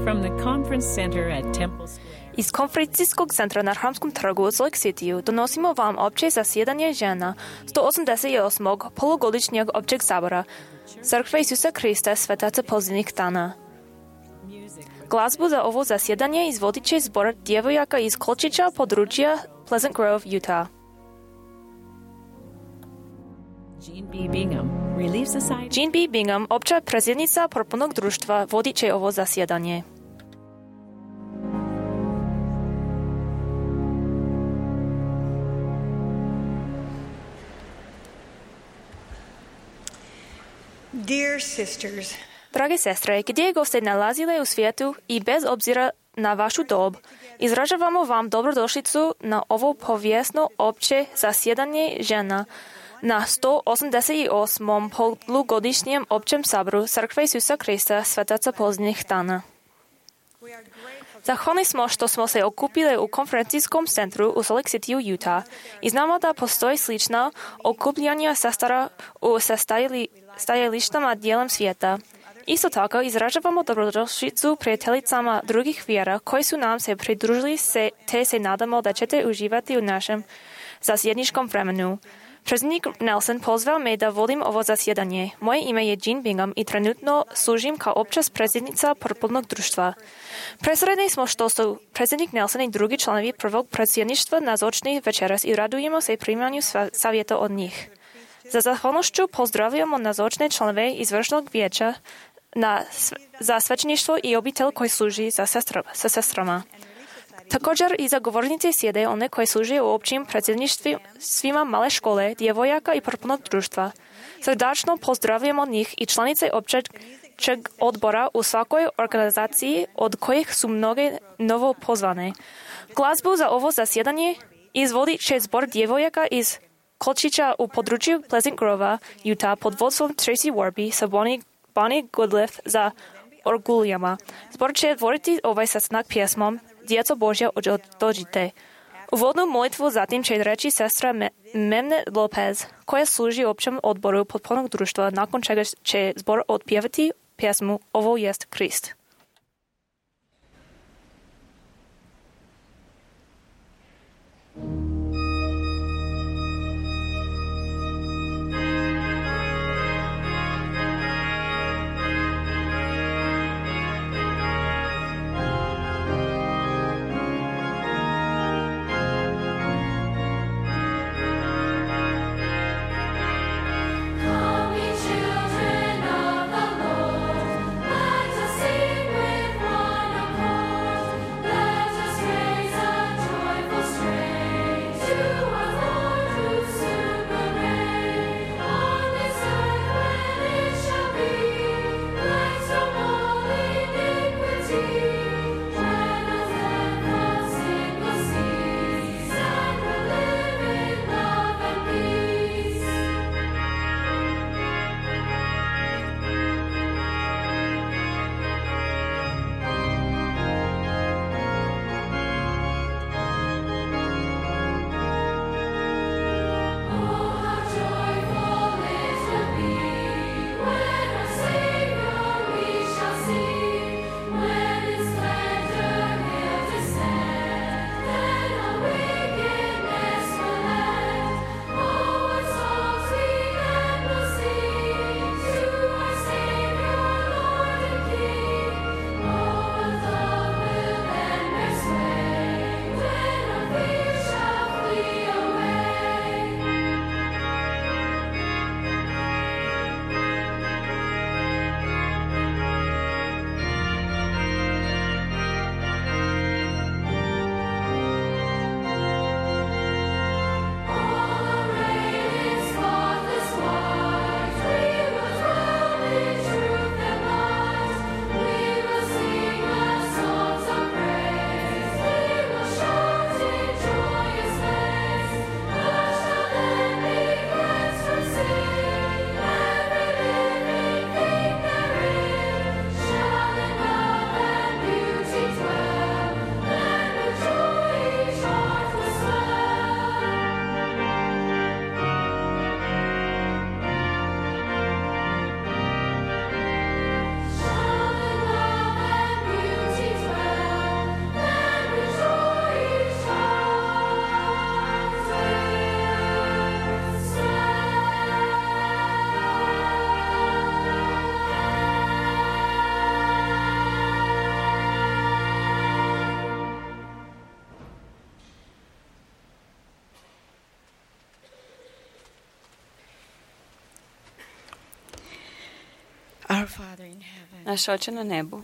From the Conference Center at Temple Square. Из конференцийского центра на Храмском торгу Солик-Ситию доносимо вам общее заседание жена 188-го полугодичного общего собора Церкви Исуса Христа Святаца Поздних Тана. Гласбу за ovo заседание изводиче сбор девояка из Колчича подружья Pleasant Grove, Utah. Jean B. Bingham, Relief Society. Jean B. Bingham, обща президница пропонок дружства, водиче ovo заседание. Dear sisters, Драги сестри, где го сте налазили у свету и без обзира на вашу доб, изражавamo вам добродошлицу на ovo повестно обще заседание жена на 188-м полугодичном общем собору Церкви Исуса Христа Святаца Поздних Тана. Zachváni smo, što smo se okupili u konferencijskom centru u Salt Lake City, Utah, i znamo da postoji slična okupljanja sestara u stajalištama dijelom svijeta. Isto tako izražavamo dobrodošlicu prijateljicama drugih vjera koji su nam se pridružili te se nadamo da ćete uživati u našem zasjedničkom vremenu. Predsjednik Nelson pozvao me da vodim ovo zasjedanje. Moje ime je Jean Bingham i trenutno služim kao opća predsjednica Purpurnog društva. Presredni smo što su predsjednik Nelson i drugi članovi prvog predsjedništva nazočni večeras i radujemo se primanju savjeta od njih. Za zahvalnošću pozdravljamo nazočne članove izvršnog vijeća za svećeništvo i obitelj koji služi sa sestrama. Također i za govornice sjede one koji služe u općim predsjedništvima male škole, djevojaka i purpurnog društva. Srdačno pozdravljamo njih i članice općeg odbora u svakoj organizaciji od kojih su mnoge novo pozvane. Glazbu za ovo zasjedanje izvodi će zbor djevojaka iz Kolčića u području Pleasant Grova, Utah pod vodstvom Tracy Warby sa Bonnie Goodliff za orguljama. Zbor će voditi ovaj sastanak pjesmom Djeco Božja dođite. Uvodnu molitvu zatim će reći sestra Memne Lopez, koja služi općem odboru Purpurnog društva, nakon čega će zbor otpjevati pjesmu Ovo jest Krist. Let us raise a joyful strain. Naš Oče na nebu,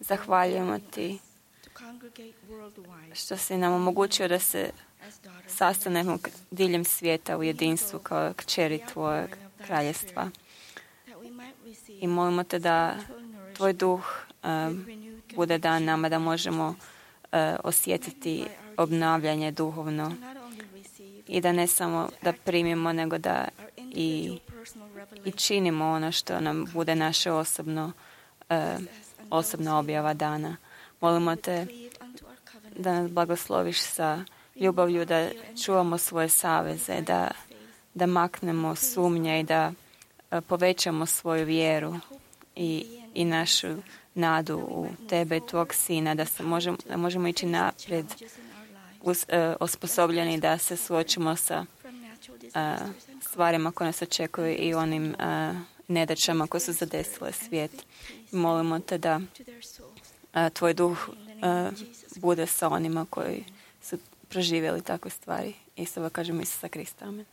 zahvaljujemo Ti što si nam omogućio da se sastanemo diljem svijeta u jedinstvu kao kćeri Tvojeg kraljestva. I molimo Te da Tvoj duh bude dan nama, da možemo osjetiti obnavljanje duhovno i da ne samo da primimo, nego da i činimo ono što nam bude naše osobna objava dana. Molimo Te da nas blagosloviš sa ljubavlju, da čuvamo svoje saveze, da maknemo sumnje i da povećamo svoju vjeru i našu nadu u Tebe i Tvog Sina, da možemo ići naprijed osposobljeni da se suočimo sa stvarima koje nas očekuju i onim nedaćama koje su zadesile svijet. Molimo Te da Tvoj duh bude sa onima koji su proživjeli takve stvari. I s ovo kažemo Isusa Krista. Amen.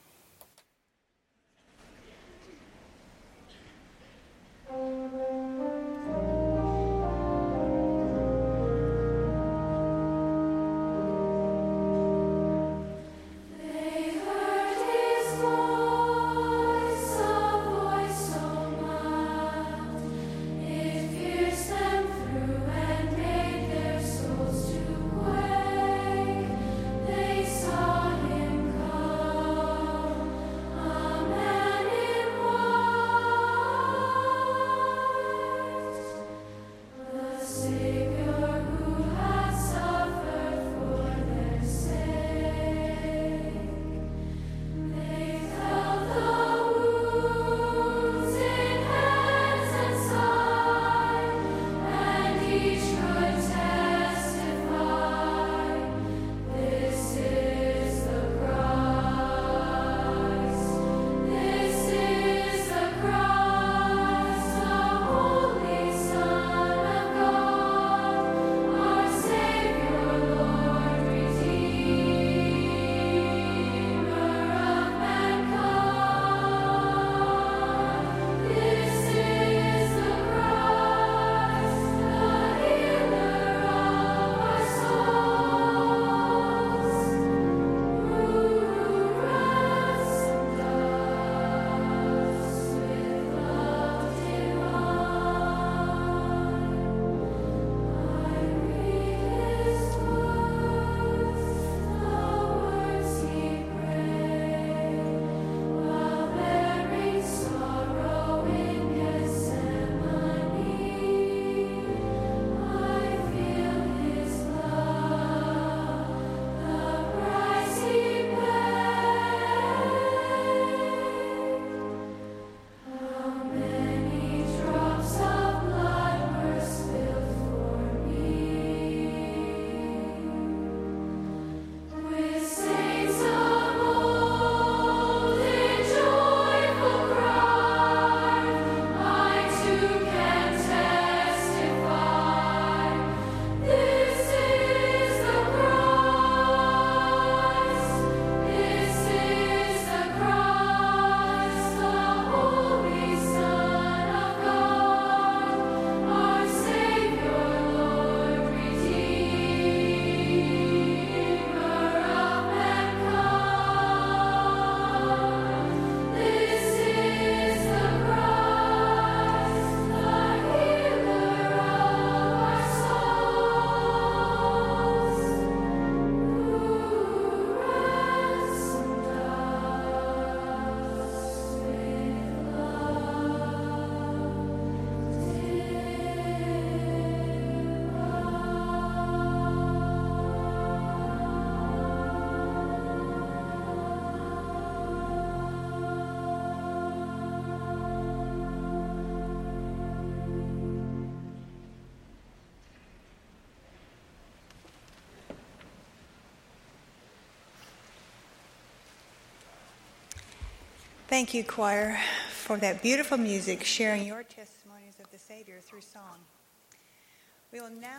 Thank you, choir, for that beautiful music, sharing your testimonies of the Savior through song.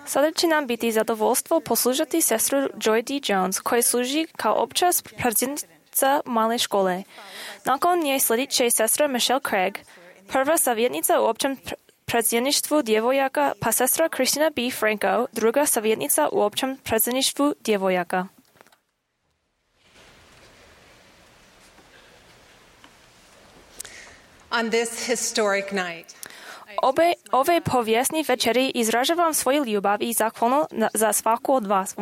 Sada će nam biti zadovoljstvo poslušati sestru Joy D. Jones, koja služi kao opća predsjednica male škole. Nakon nje sledit će sestra Michelle Craig, Prvá savjetnica u općem predsjedništvu djevojaka pa sestra Kristina B. Franco, druga savjetnica u općem predsjedništvu djevojaka. On this historic night, Ove povijesni večeri izražavam svoju ljubav i zahvalno za svaku od vas,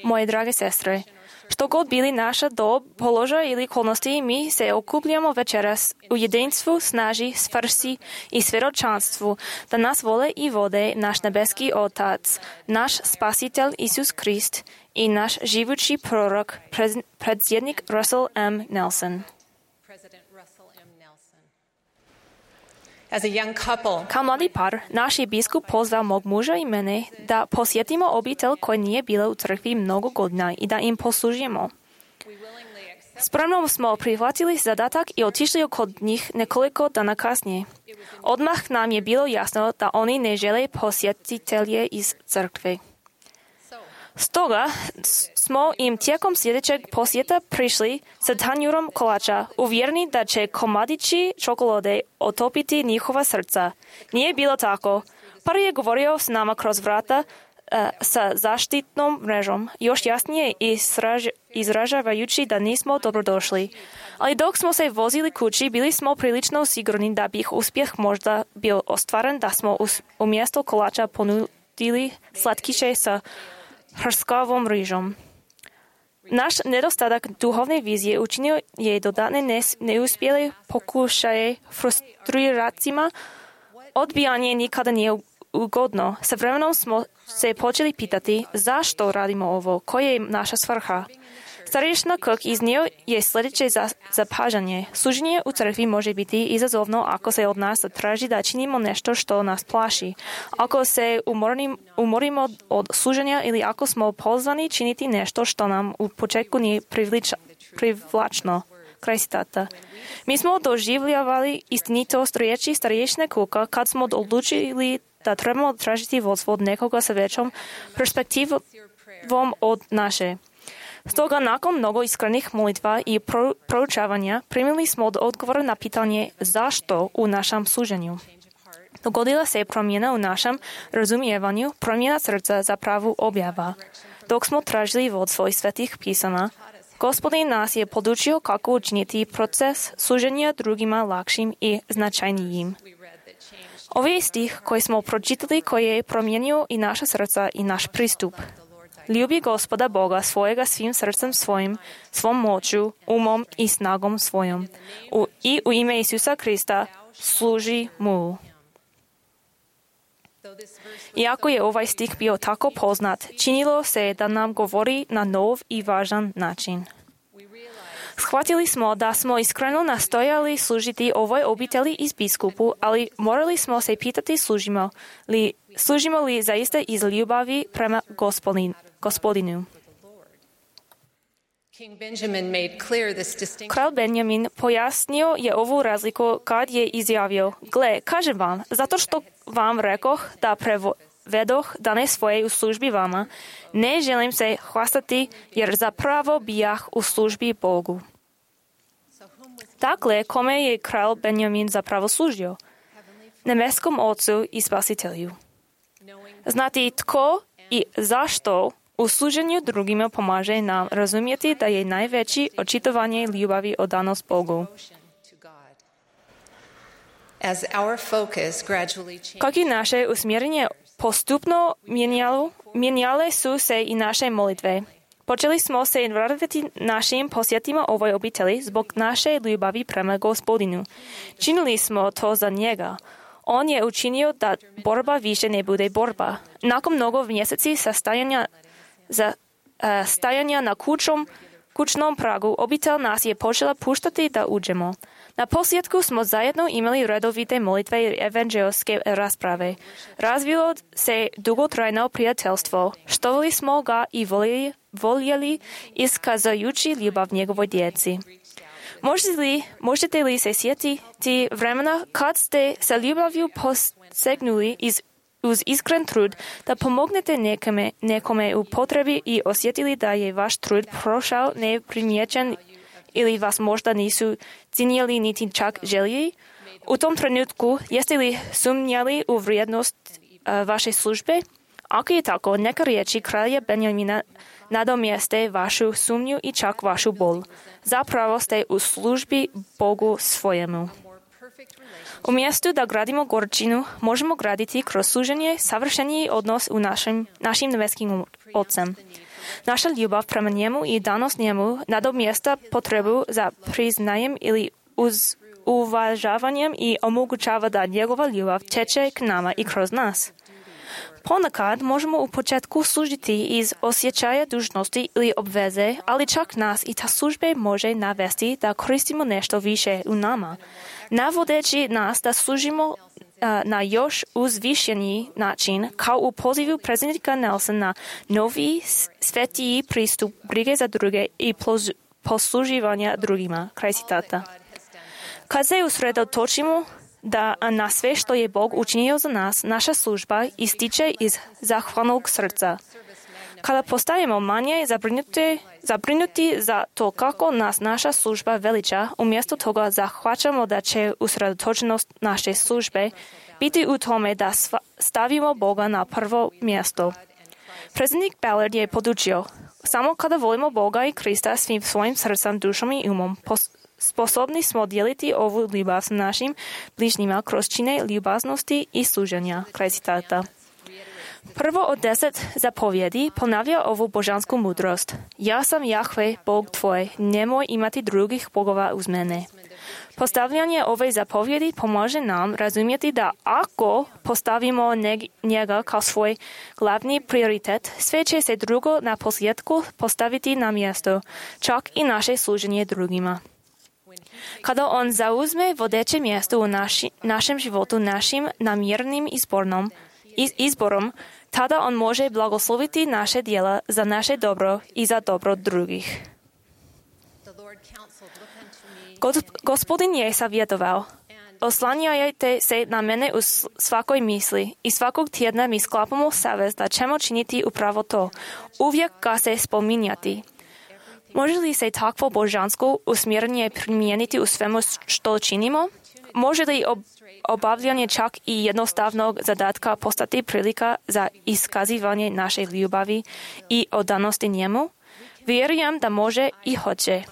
moje drage sestre. Što god bili naša dob, položaj ili okolnosti, mi se okupljamo večeras u jedinstvu, snaži, svrsi i svjedočanstvu, da nas vole i vode naš nebeski Otac, naš Spasitelj Isus Krist i naš živući prorok, predsjednik Russell M. Nelson. as a young couple, Kao mladi par, naš je biskup pozvao mog muža i mene da posjetimo obitelj koja nije bila u crkvi mnogo godina i da im poslužimo. Spremno smo prihvatili zadatak i otišli kod njih nekoliko dana kasnije. Odmah nam je bilo jasno da oni ne žele posjetitelje iz crkve. Stoga smo im tijekom sljedećeg posjeta prišli sa tanjurom kolača, uvjereni da će komadići čokolade otopiti njihova srca. Nije bilo tako. Par je govorio s nama kroz vrata sa zaštitnom mrežom, još jasnije izražavajući da nismo dobrodošli. Ali dok smo se vozili kući, bili smo prilično sigurni da bi uspjeh možda bio ostvaren da smo umjesto kolača ponudili slatkiše sa hrskavom rižom. Naš nedostatak duhovne vizije učinio je dodatne neuspjele pokušaje frustracijama. Odbijanje nikada nije ugodno. Sa vremenom smo se počeli pitati zašto radimo ovo, koja je naša svrha. Starješna Cook iznio je sljedeće zapažanje. Služenje u crkvi može biti izazovno ako se od nas traži da činimo nešto što nas plaši. Ako se umorimo od služenja ili ako smo pozvani činiti nešto što nam u početku nije privlačno. Kraj citata. Mi smo doživljavali istinitost riječi starješne Cooka kad smo odlučili da trebamo tražiti vodstvo od nekoga sa većom perspektivom od naše. Stoga nakon mnogo iskrenih molitva i proučavanja primili smo odgovor na pitanje zašto u našem služenju. Dogodila se promjena u našem razumijevanju, promjena srca za pravu objava. Dok smo tražili vodstvo iz svetih pisama, Gospodin nas je podučio kako učiniti proces služenja drugima lakšim i značajnijim. Ovaj stih koji smo pročitali koji je promijenio i naša srca i naš pristup. Ljubi Gospoda Boga svojega svim srcem svojim, svom moću, umom i snagom svojom. I u ime Isusa Krista služi mu. Iako je ovaj stih bio tako poznat, činilo se da nam govori na nov i važan način. Shvatili smo da smo iskreno nastojali služiti ovoj obitelji iz biskupu, ali morali smo se pitati služimo li zaista iz ljubavi prema Gospodinu. Kralj Benjamin pojasnio je ovu razliku kad je izjavio: Gle, kažem vam, zato što vam rekoh da prevedoh dane svoje u službi vama, ne želim se hvastati jer zapravo bijah u službi Bogu. Dakle, kome je kralj Benjamin zapravo služio? Nebeskom Ocu i Spasitelju. Znati tko i zašto u služenju drugima pomaže nam razumjeti da je najveće očitovanje ljubavi odanost Bogu. Kako je naše usmjerenje postupno mijenjale su se i naše molitve. Počeli smo se raditi našim posjetima ovoj obitelji zbog naše ljubavi prema Gospodinu. Činili smo to za njega. On je učinio da borba više ne bude borba. Nakon mnogo mjeseci stajanja na kućnom pragu, obitelj nas je počela puštati da uđemo. Na posljedku smo zajedno imali redovite molitve i evanđelske rasprave. Razvilo se dugotrajno prijateljstvo. Štovali smo ga i voljeli iskazujući ljubav njegovoj djeci. Možete li se sjetiti vremena kad ste sa ljubavlju posegnuli uz iskren trud da pomognete nekome u potrebi i osjetili da je vaš trud prošao neprimjećen ili vas možda nisu cijenili niti čak željeli? U tom trenutku, jeste li sumnjali u vrijednost vašej službe? Ako je tako, neka riječi kralja Benjamina nadomjeste vašu sumnju i čak vašu bol. Zapravo ste u službi Bogu svojemu. Umjesto da gradimo gorčinu, možemo graditi kroz služenje savršeniji odnos u našim nebeskim Otcem. Naša ljubav prema njemu i danost njemu nadomjesta potrebu za priznajem ili uvažavanjem i omogućava da njegova ljubav teče k nama i kroz nas. Ponekad možemo u početku služiti iz osjećaja dužnosti ili obveze, ali čak nas i ta služba može navesti da koristimo nešto više u nama, navodeći nas da služimo na još uzvišeniji način, kao u pozivu predsjednika Nelsona na novi svetiji pristup brige za druge i posluživanja drugima. Kraj citata. Kad se usredotočimo na sve što je Bog učinio za nas, naša služba ističe iz zahvalnog srca. Kada postajemo manje zabrinuti za to kako nas naša služba veliča, umjesto toga zahvaćamo da će usredotočenost naše službe biti u tome da stavimo Boga na prvo mjesto. Predsjednik Ballard je podučio, samo kada volimo Boga i Krista svim svojim srcem, dušom i umom, sposobni smo dijeliti ovu ljubav s našim bližnjima kroz čine ljubaznosti i služenja. Kraj citata. Prvo od 10 zapovjedi ponavlja ovu božansku mudrost. Ja sam Jahve, Bog tvoj, nemoj imati drugih bogova uz mene. Postavljanje ove zapovjedi pomaže nam razumjeti da ako postavimo njega kao svoj glavni prioritet, sve će se drugo na posljedku postaviti na mjesto, čak i naše služenje drugima. Kada on zauzme vodeće mjesto u našem životu našim namjernim izborom, tada on može blagosloviti naše djela za naše dobro i za dobro drugih. Gospodin je savjetovao, oslanjajte se na mene u svakoj misli i svakog tjedna mi sklapamo savez da ćemo činiti upravo to. Uvijek ga se spominjati. Može li se takvo božansko usmjerenje primijeniti u svemu što činimo? Može li obavljanje čak i jednostavnog zadatka postati prilika za iskazivanje naše ljubavi i odanosti njemu? Vjerujem da može i hoće.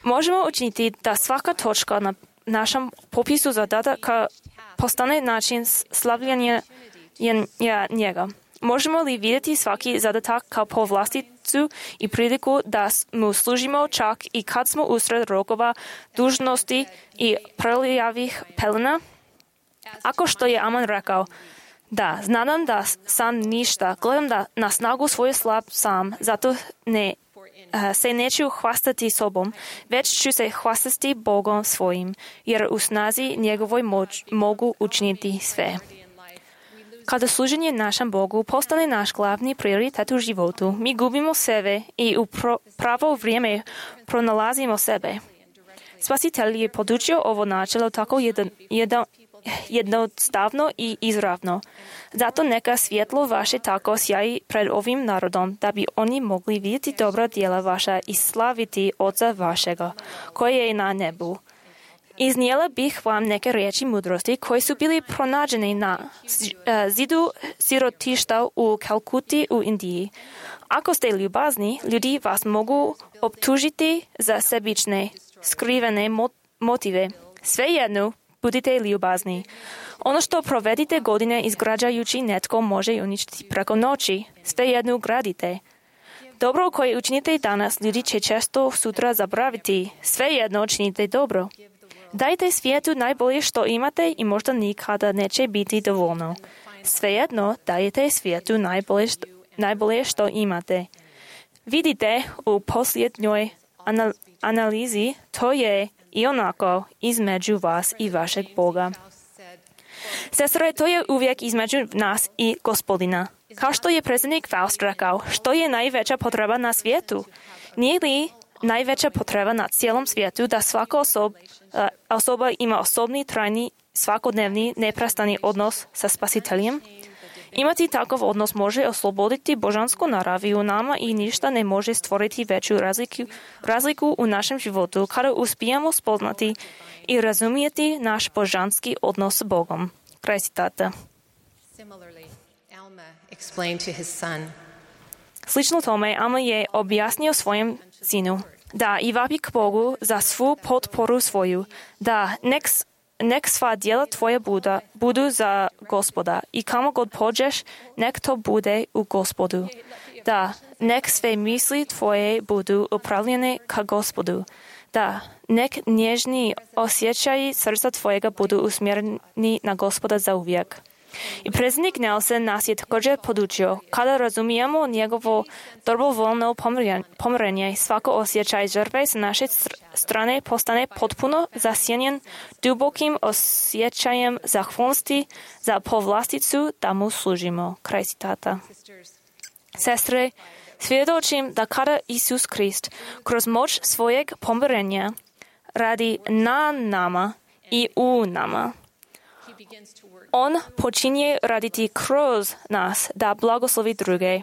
Možemo učiniti da svaka točka na našem popisu zadataka postane način slavljanja njega. Možemo li vidjeti svaki zadatak kao povlasticu i priliku da mu služimo čak i kad smo usred rokova, dužnosti i prelijavih pelena? Ako što je Aman rekao, da, znam da sam ništa, gledam na snagu svoju slab sam, zato se neću hvastati sobom, već ću se hvastati Bogom svojim, jer u snazi njegovoj mogu učiniti sve. Kada služenje našem Bogu postane naš glavni prioritet u životu, mi gubimo sebe i u pravo vrijeme pronalazimo sebe. Spasitelj je podučio ovo načelo tako jednostavno i izravno. Zato neka svjetlo vaše tako sjaji pred ovim narodom, da bi oni mogli vidjeti dobra djela vaša i slaviti Oca vašega, koji je na nebu. Iznijela bih vam neke riječi mudrosti koji su bili pronađeni na zidu sirotišta u Kalkuti u Indiji. Ako ste ljubazni, ljudi vas mogu optužiti za sebične, skrivene motive. Svejedno, budite ljubazni. Ono što provedite godine izgrađajući netko može uništiti preko noći. Svejedno gradite. Dobro koje učinite danas, ljudi će često sutra zaboraviti. Svejedno činite dobro. Dajte svijetu najbolje što imate i možda nikada neće biti dovoljno. Svejedno dajte svijetu najbolje što imate. Vidite u posljednjoj analizi, to je i onako između vas i vašeg Boga. Sestre, to je uvijek između nas i Gospodina. Kao što je predsjednik Faust rekao, što je najveća potreba na svijetu? Nije li najveća potreba na cijelom svijetu da svaka osoba ima osobni, trajni, svakodnevni, neprestani odnos sa Spasiteljem? Imati takav odnos može osloboditi božansku naravi u nama i ništa ne može stvoriti veću razliku u našem životu kada uspijemo spoznati i razumijeti naš božanski odnos s Bogom. Kraj citata. Slično tome, Alma je objasnio svojem sinu da i vapi k Bogu za svu potporu svoju, da nek sva djela tvoja budu za Gospoda i kamo god pođeš, nek to bude u Gospodu. Da, nek sve misli tvoje budu upravljene ka Gospodu. Da, nek nježni osjećaji srca tvojega budu usmjereni na Gospoda za uvijek. I predsjednik Nelson nas je također podučio, kada razumijemo njegovo dobrovoljno pomirenje, svako osjećaj žrtve sa naše strane postane potpuno zasjenjen dubokim osjećajem zahvalnosti za povlasticu da mu služimo. Kraj citata. Sestre, svjedočim da kada Isus Krist kroz moć svojeg pomirenja radi na nama i u nama, On počinje raditi kroz nas da blagoslovi druge.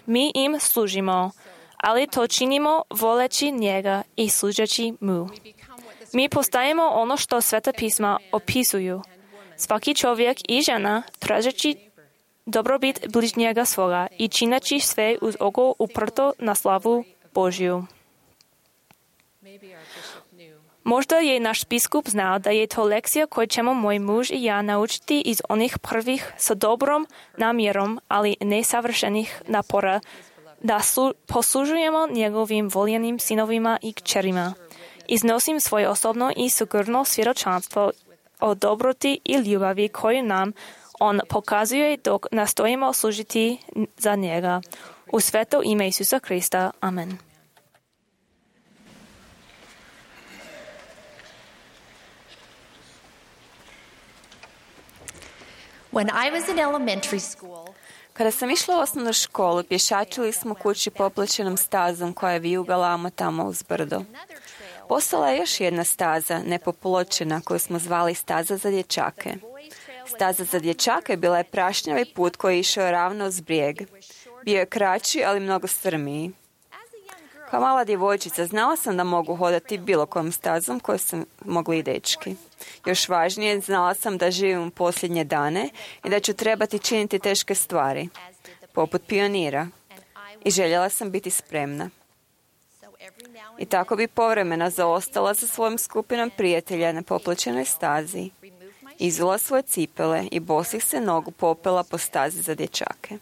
Mi im služimo, ali to činimo voleći njega i služeći mu. Mi postajemo ono što Sveta pisma opisuju. Svaki čovjek i žena tražeći dobrobit bližnjega svoga i čineći sve uz oko uprto na slavu Božju. Možda je naš biskup znao da je to lekcija koju ćemo moj muž i ja naučiti iz onih prvih sa dobrom namjerom, ali nesavršenih napora, da poslužujemo njegovim voljenim sinovima i kćerima. Iznosim svoje osobno i sigurno svjedočanstvo o dobroti i ljubavi koju nam on pokazuje dok nastojimo služiti za njega. U sveto ime Isusa Krista. Amen. When I was in elementary school, Kada sam išla u osnovnu školu, pješačili smo kući popločenom stazom koja je vijugala amo tamo uz brdo. Postala je još jedna staza, nepopločena, koju smo zvali staza za dječake. Staza za dječake bila je prašnjavi put koji je išao ravno uz brijeg. Bio je kraći, ali mnogo strmiji. Kao mala djevojčica znala sam da mogu hodati bilo kojom stazom koju sam mogli i dečki. Još važnije, znala sam da živim u posljednje dane i da ću trebati činiti teške stvari, poput pionira. I željela sam biti spremna. I tako bi povremeno zaostala sa svojom skupinom prijatelja na popločenoj stazi. Izula svoje cipele i bosih se nogu popela po stazi za dječake.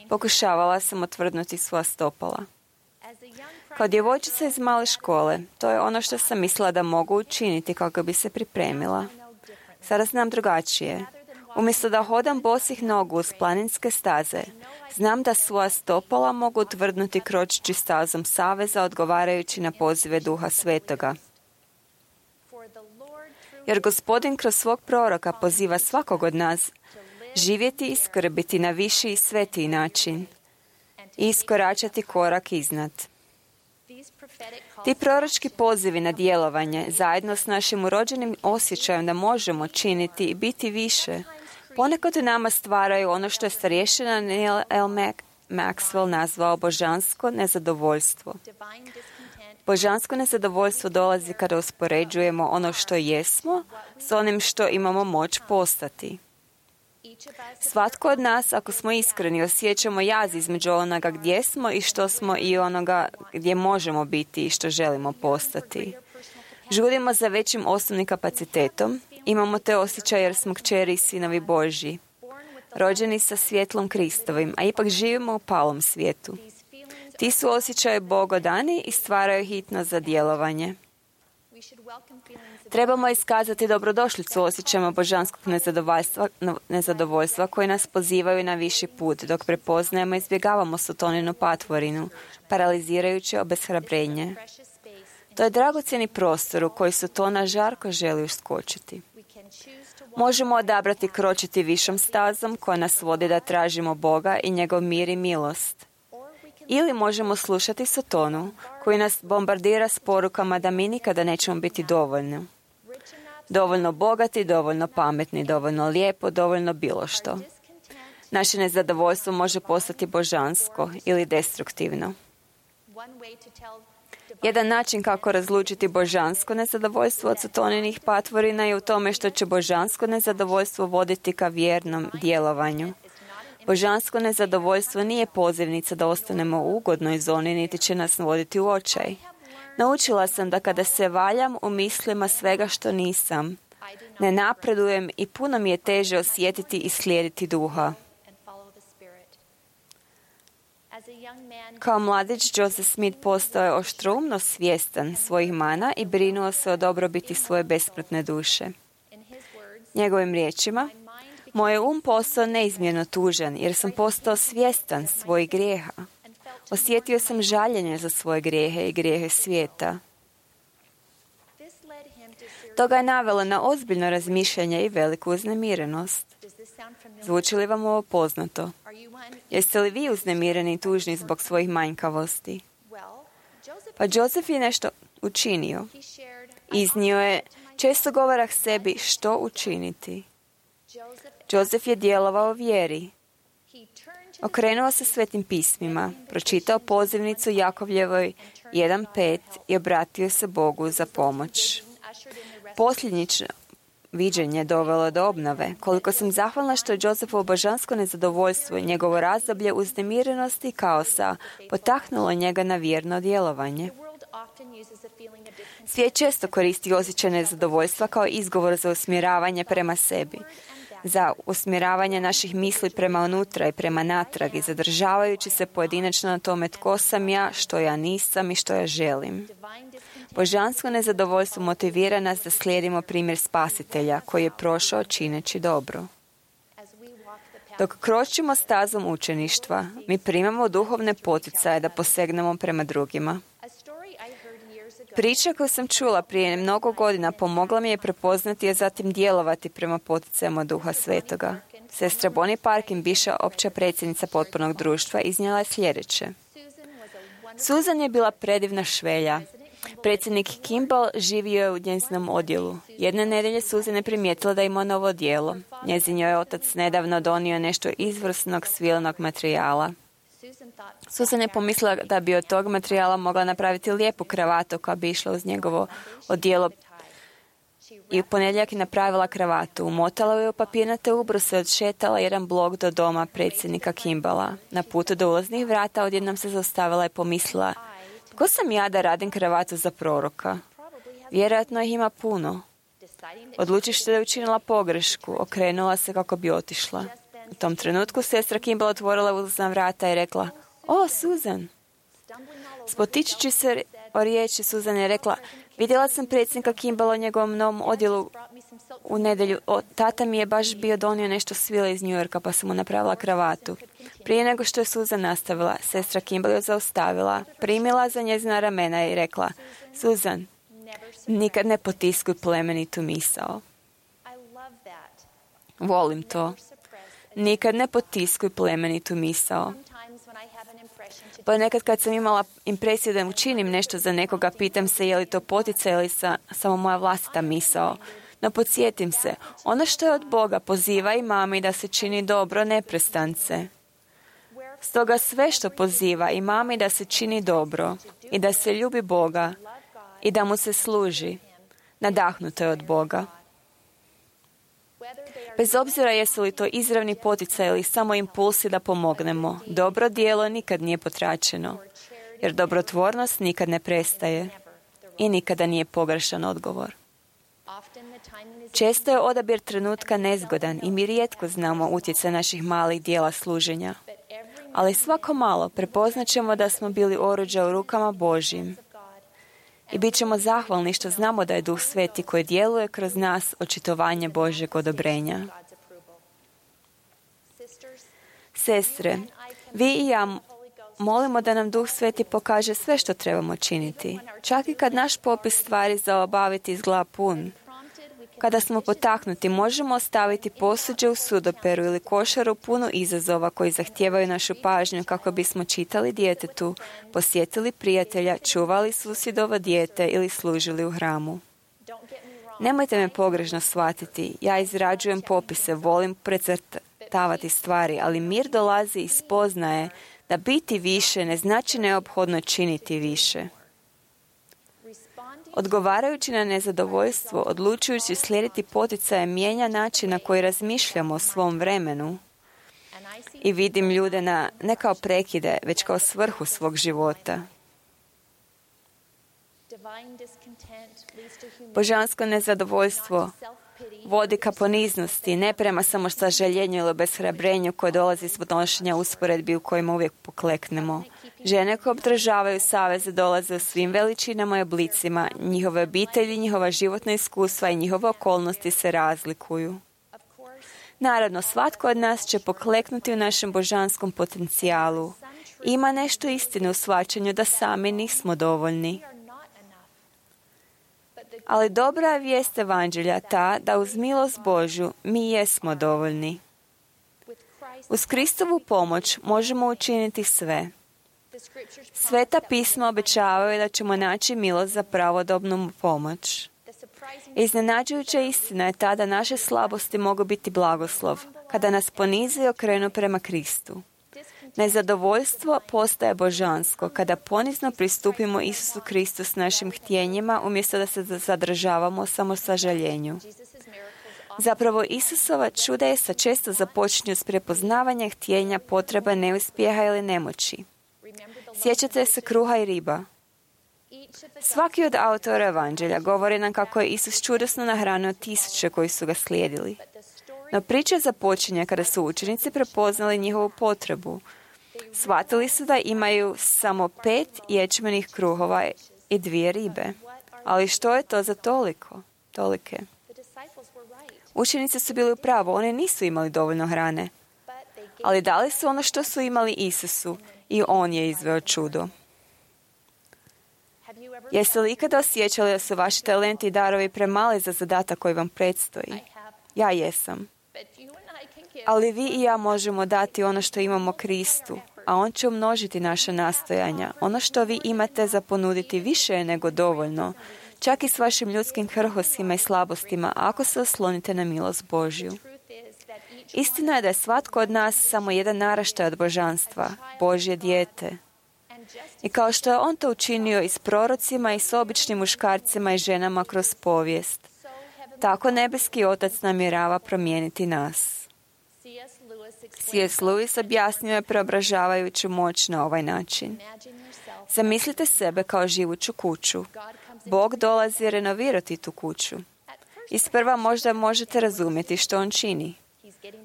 Pokušavala sam otvrdnuti svoja stopala. Kao djevojčica iz male škole, to je ono što sam mislila da mogu učiniti kako bi se pripremila. Sada znam drugačije. Umjesto da hodam bosih nogu uz planinske staze, znam da svoja stopala mogu utvrdnuti kročeći stazom saveza odgovarajući na pozive Duha Svetoga. Jer Gospodin kroz svog proroka poziva svakog od nas živjeti i skrbiti na viši i svetiji način i iskoračati korak iznad. Ti proročki pozivi na djelovanje, zajedno s našim urođenim osjećajem da možemo činiti i biti više, ponekad u nama stvaraju ono što je starješina Neil L. Maxwell nazvao božansko nezadovoljstvo. Božansko nezadovoljstvo dolazi kada uspoređujemo ono što jesmo s onim što imamo moć postati. Svatko od nas, ako smo iskreni, osjećamo jaz između onoga gdje smo i što smo i onoga gdje možemo biti i što želimo postati. Žudimo za većim osnovnim kapacitetom, imamo te osjećaje jer smo kćeri i sinovi Božji, rođeni sa svjetlom Kristovim, a ipak živimo u palom svijetu. Ti su osjećaje bogodani i stvaraju hitnost za djelovanje. Trebamo iskazati dobrodošlicu osjećajima božanskog nezadovoljstva koji nas pozivaju na viši put, dok prepoznajemo i izbjegavamo sotoninu patvorinu, paralizirajuće obeshrabrenje. To je dragocjeni prostor u koji Sotona žarko želi uskočiti. Možemo odabrati kročiti višom stazom koja nas vodi da tražimo Boga i njegov mir i milost. Ili možemo slušati Sotonu koji nas bombardira s porukama da mi nikada nećemo biti dovoljni. Dovoljno bogati, dovoljno pametni, dovoljno lijepo, dovoljno bilo što. Naše nezadovoljstvo može postati božansko ili destruktivno. Jedan način kako razlučiti božansko nezadovoljstvo od sataninih patvorina je u tome što će božansko nezadovoljstvo voditi ka vjernom djelovanju. Božansko nezadovoljstvo nije pozivnica da ostanemo u ugodnoj zoni, niti će nas voditi u očaj. Naučila sam da kada se valjam u mislima svega što nisam, ne napredujem i puno mi je teže osjetiti i slijediti duha. Kao mladić, Joseph Smith postao je oštroumno svjestan svojih mana i brinuo se o dobrobiti svoje besmrtne duše. Njegovim riječima, moj postao neizmjerno tužan jer sam postao svjestan svojih grijeha. Osjetio sam žaljenje za svoje grijehe i grijehe svijeta. To ga je navelo na ozbiljno razmišljanje i veliku uznemirenost. Zvuči li vam ovo poznato? Jeste li vi uznemireni i tužni zbog svojih manjkavosti? Pa Joseph je nešto učinio. Iznio je često govorak sebi što učiniti. Joseph je djelovao vjeri. Okrenuo se svetim pismima, pročitao pozivnicu Jakovljevoj 1.5 i obratio se Bogu za pomoć. Posljednično viđenje dovelo do obnove. Koliko sam zahvalna što je Josephovo božansko nezadovoljstvo i njegovo razdoblje uznemirenosti i kaosa potaknulo njega na vjerno djelovanje. Svijet često koristi osjećaj nezadovoljstva kao izgovor za usmjeravanje prema sebi, za usmjeravanje naših misli prema unutra i prema natrag i zadržavajući se pojedinačno na tome tko sam ja, što ja nisam i što ja želim. Božansko nezadovoljstvo motivira nas da slijedimo primjer Spasitelja koji je prošao čineći dobro. Dok kročimo stazom učeništva, mi primamo duhovne poticaje da posegnemo prema drugima. Priča koju sam čula prije mnogo godina pomogla mi je prepoznati i zatim djelovati prema poticajima Duha Svetoga. Sestra Bonnie Parkin, bivša opća predsjednica potpornog društva, iznijela je sljedeće. Susan je bila predivna švelja. Predsjednik Kimball živio je u njezinom odjelu. Jedne nedjelje Susan je primijetila da ima novo odijelo. Njezin joj otac nedavno donio nešto izvrsnog svilnog materijala. Susan je pomislila da bi od tog materijala mogla napraviti lijepu kravatu koja bi išla uz njegovo odijelo. I u ponedjeljak je napravila kravatu. Umotala je u papirnate ubruse, odšetala jedan blok do doma predsjednika Kimballa. Na putu do ulaznih vrata odjednom se zaustavila i pomislila: tko sam ja da radim kravatu za proroka? Vjerojatno ih ima puno. Odlučivši da je učinila pogrešku, okrenula se kako bi otišla. U tom trenutku sestra Kimball otvorila ulazna vrata i rekla: o, Susan! Spotičući se o riječi, Susan je rekla: vidjela sam predsjednika Kimballa u njegovom novom odjelu u nedjelju. Tata mi je baš bio donio nešto svile iz New Yorka, pa sam mu napravila kravatu. Prije nego što je Susan nastavila, sestra Kimball je zaustavila, primila za njezina ramena i rekla: Susan, nikad ne potiskuj plemenitu misao. Volim to. Nikad ne potiskuj plemenitu misao. Ponekad kad sam imala impresiju da učinim nešto za nekoga, pitam se je li to poticaj ili samo moja vlastita misao. No podsjetim se, ono što je od Boga poziva i mami da se čini dobro neprestance. Stoga sve što poziva i mami da se čini dobro i da se ljubi Boga i da mu se služi, nadahnuto je od Boga. Bez obzira jesu li to izravni poticaj ili samo impulsi da pomognemo, dobro djelo nikad nije potračeno, jer dobrotvornost nikad ne prestaje i nikada nije pogrešan odgovor. Često je odabir trenutka nezgodan i mi rijetko znamo utjecaj naših malih dijela služenja, ali svako malo prepoznat ćemo da smo bili oruđa u rukama Božjim i bit ćemo zahvalni što znamo da je Duh Sveti koji djeluje kroz nas očitovanje Božjeg odobrenja. Sestre, vi i ja molimo da nam Duh Sveti pokaže sve što trebamo činiti, čak i kad naš popis stvari za obaviti izgleda pun. Kada smo potaknuti, možemo ostaviti posuđe u sudoperu ili košaru punu izazova koji zahtijevaju našu pažnju kako bismo čitali djetetu, posjetili prijatelja, čuvali susjedovo dijete ili služili u hramu. Nemojte me pogrešno shvatiti, ja izrađujem popise, volim precrtati razbacavati stvari, ali mir dolazi iz spoznaje da biti više ne znači neophodno činiti više. Odgovarajući na nezadovoljstvo, odlučujući slijediti poticaje, mijenja način na koji razmišljamo o svom vremenu i vidim ljude ne kao prekide, već kao svrhu svog života. Božansko nezadovoljstvo vodi ka poniznosti, ne prema samo sažaljenju ili obeshrabrenju koje dolazi s podnošenja usporedbi u kojima uvijek pokleknemo. Žene koje obdržavaju saveze dolaze u svim veličinama i oblicima. Njihove obitelji, njihova životna iskustva i njihove okolnosti se razlikuju. Naravno, svatko od nas će pokleknuti u našem božanskom potencijalu. Ima nešto istine u shvaćanju da sami nismo dovoljni. Ali dobra je vijest evanđelja ta da uz milost Božju mi jesmo dovoljni. Uz Kristovu pomoć možemo učiniti sve. Sveta pisma obećavaju da ćemo naći milost za pravodobnu pomoć. Iznenađujuća istina je ta da naše slabosti mogu biti blagoslov, kada nas ponize i okrenu prema Kristu. Nezadovoljstvo postaje božansko kada ponizno pristupimo Isusu Kristu s našim htjenjima umjesto da se zadržavamo samo sažaljenju. Zapravo, Isusova čudesa često započinju s prepoznavanjem htjenja, potreba, neuspjeha ili nemoći. Sjećate se kruha i riba? Svaki od autora evanđelja govori nam kako je Isus čudesno nahranio tisuće koji su ga slijedili. No priča započinje kada su učenici prepoznali njihovu potrebu. Shvatili su da imaju samo 5 ječmenih kruhova i 2 ribe. Ali što je to za tolike? Učenici su bili u pravu, oni nisu imali dovoljno hrane. Ali dali su ono što su imali Isusu i on je izveo čudo. Jeste li ikada osjećali da su vaši talenti i darovi premali za zadatak koji vam predstoji? Ja jesam. Ali vi i ja možemo dati ono što imamo Kristu, a on će umnožiti naša nastojanja. Ono što vi imate za ponuditi više je nego dovoljno, čak i s vašim ljudskim krhostima i slabostima, ako se oslonite na milost Božju. Istina je da je svatko od nas samo jedan naraštaj od božanstva, Božje dijete. I kao što je on to učinio i s prorocima i s običnim muškarcima i ženama kroz povijest, tako nebeski Otac namjerava promijeniti nas. C.S. Lewis objasnio je preobražavajuću moć na ovaj način. Zamislite sebe kao živuću kuću. Bog dolazi renovirati tu kuću. Isprva možda možete razumjeti što on čini.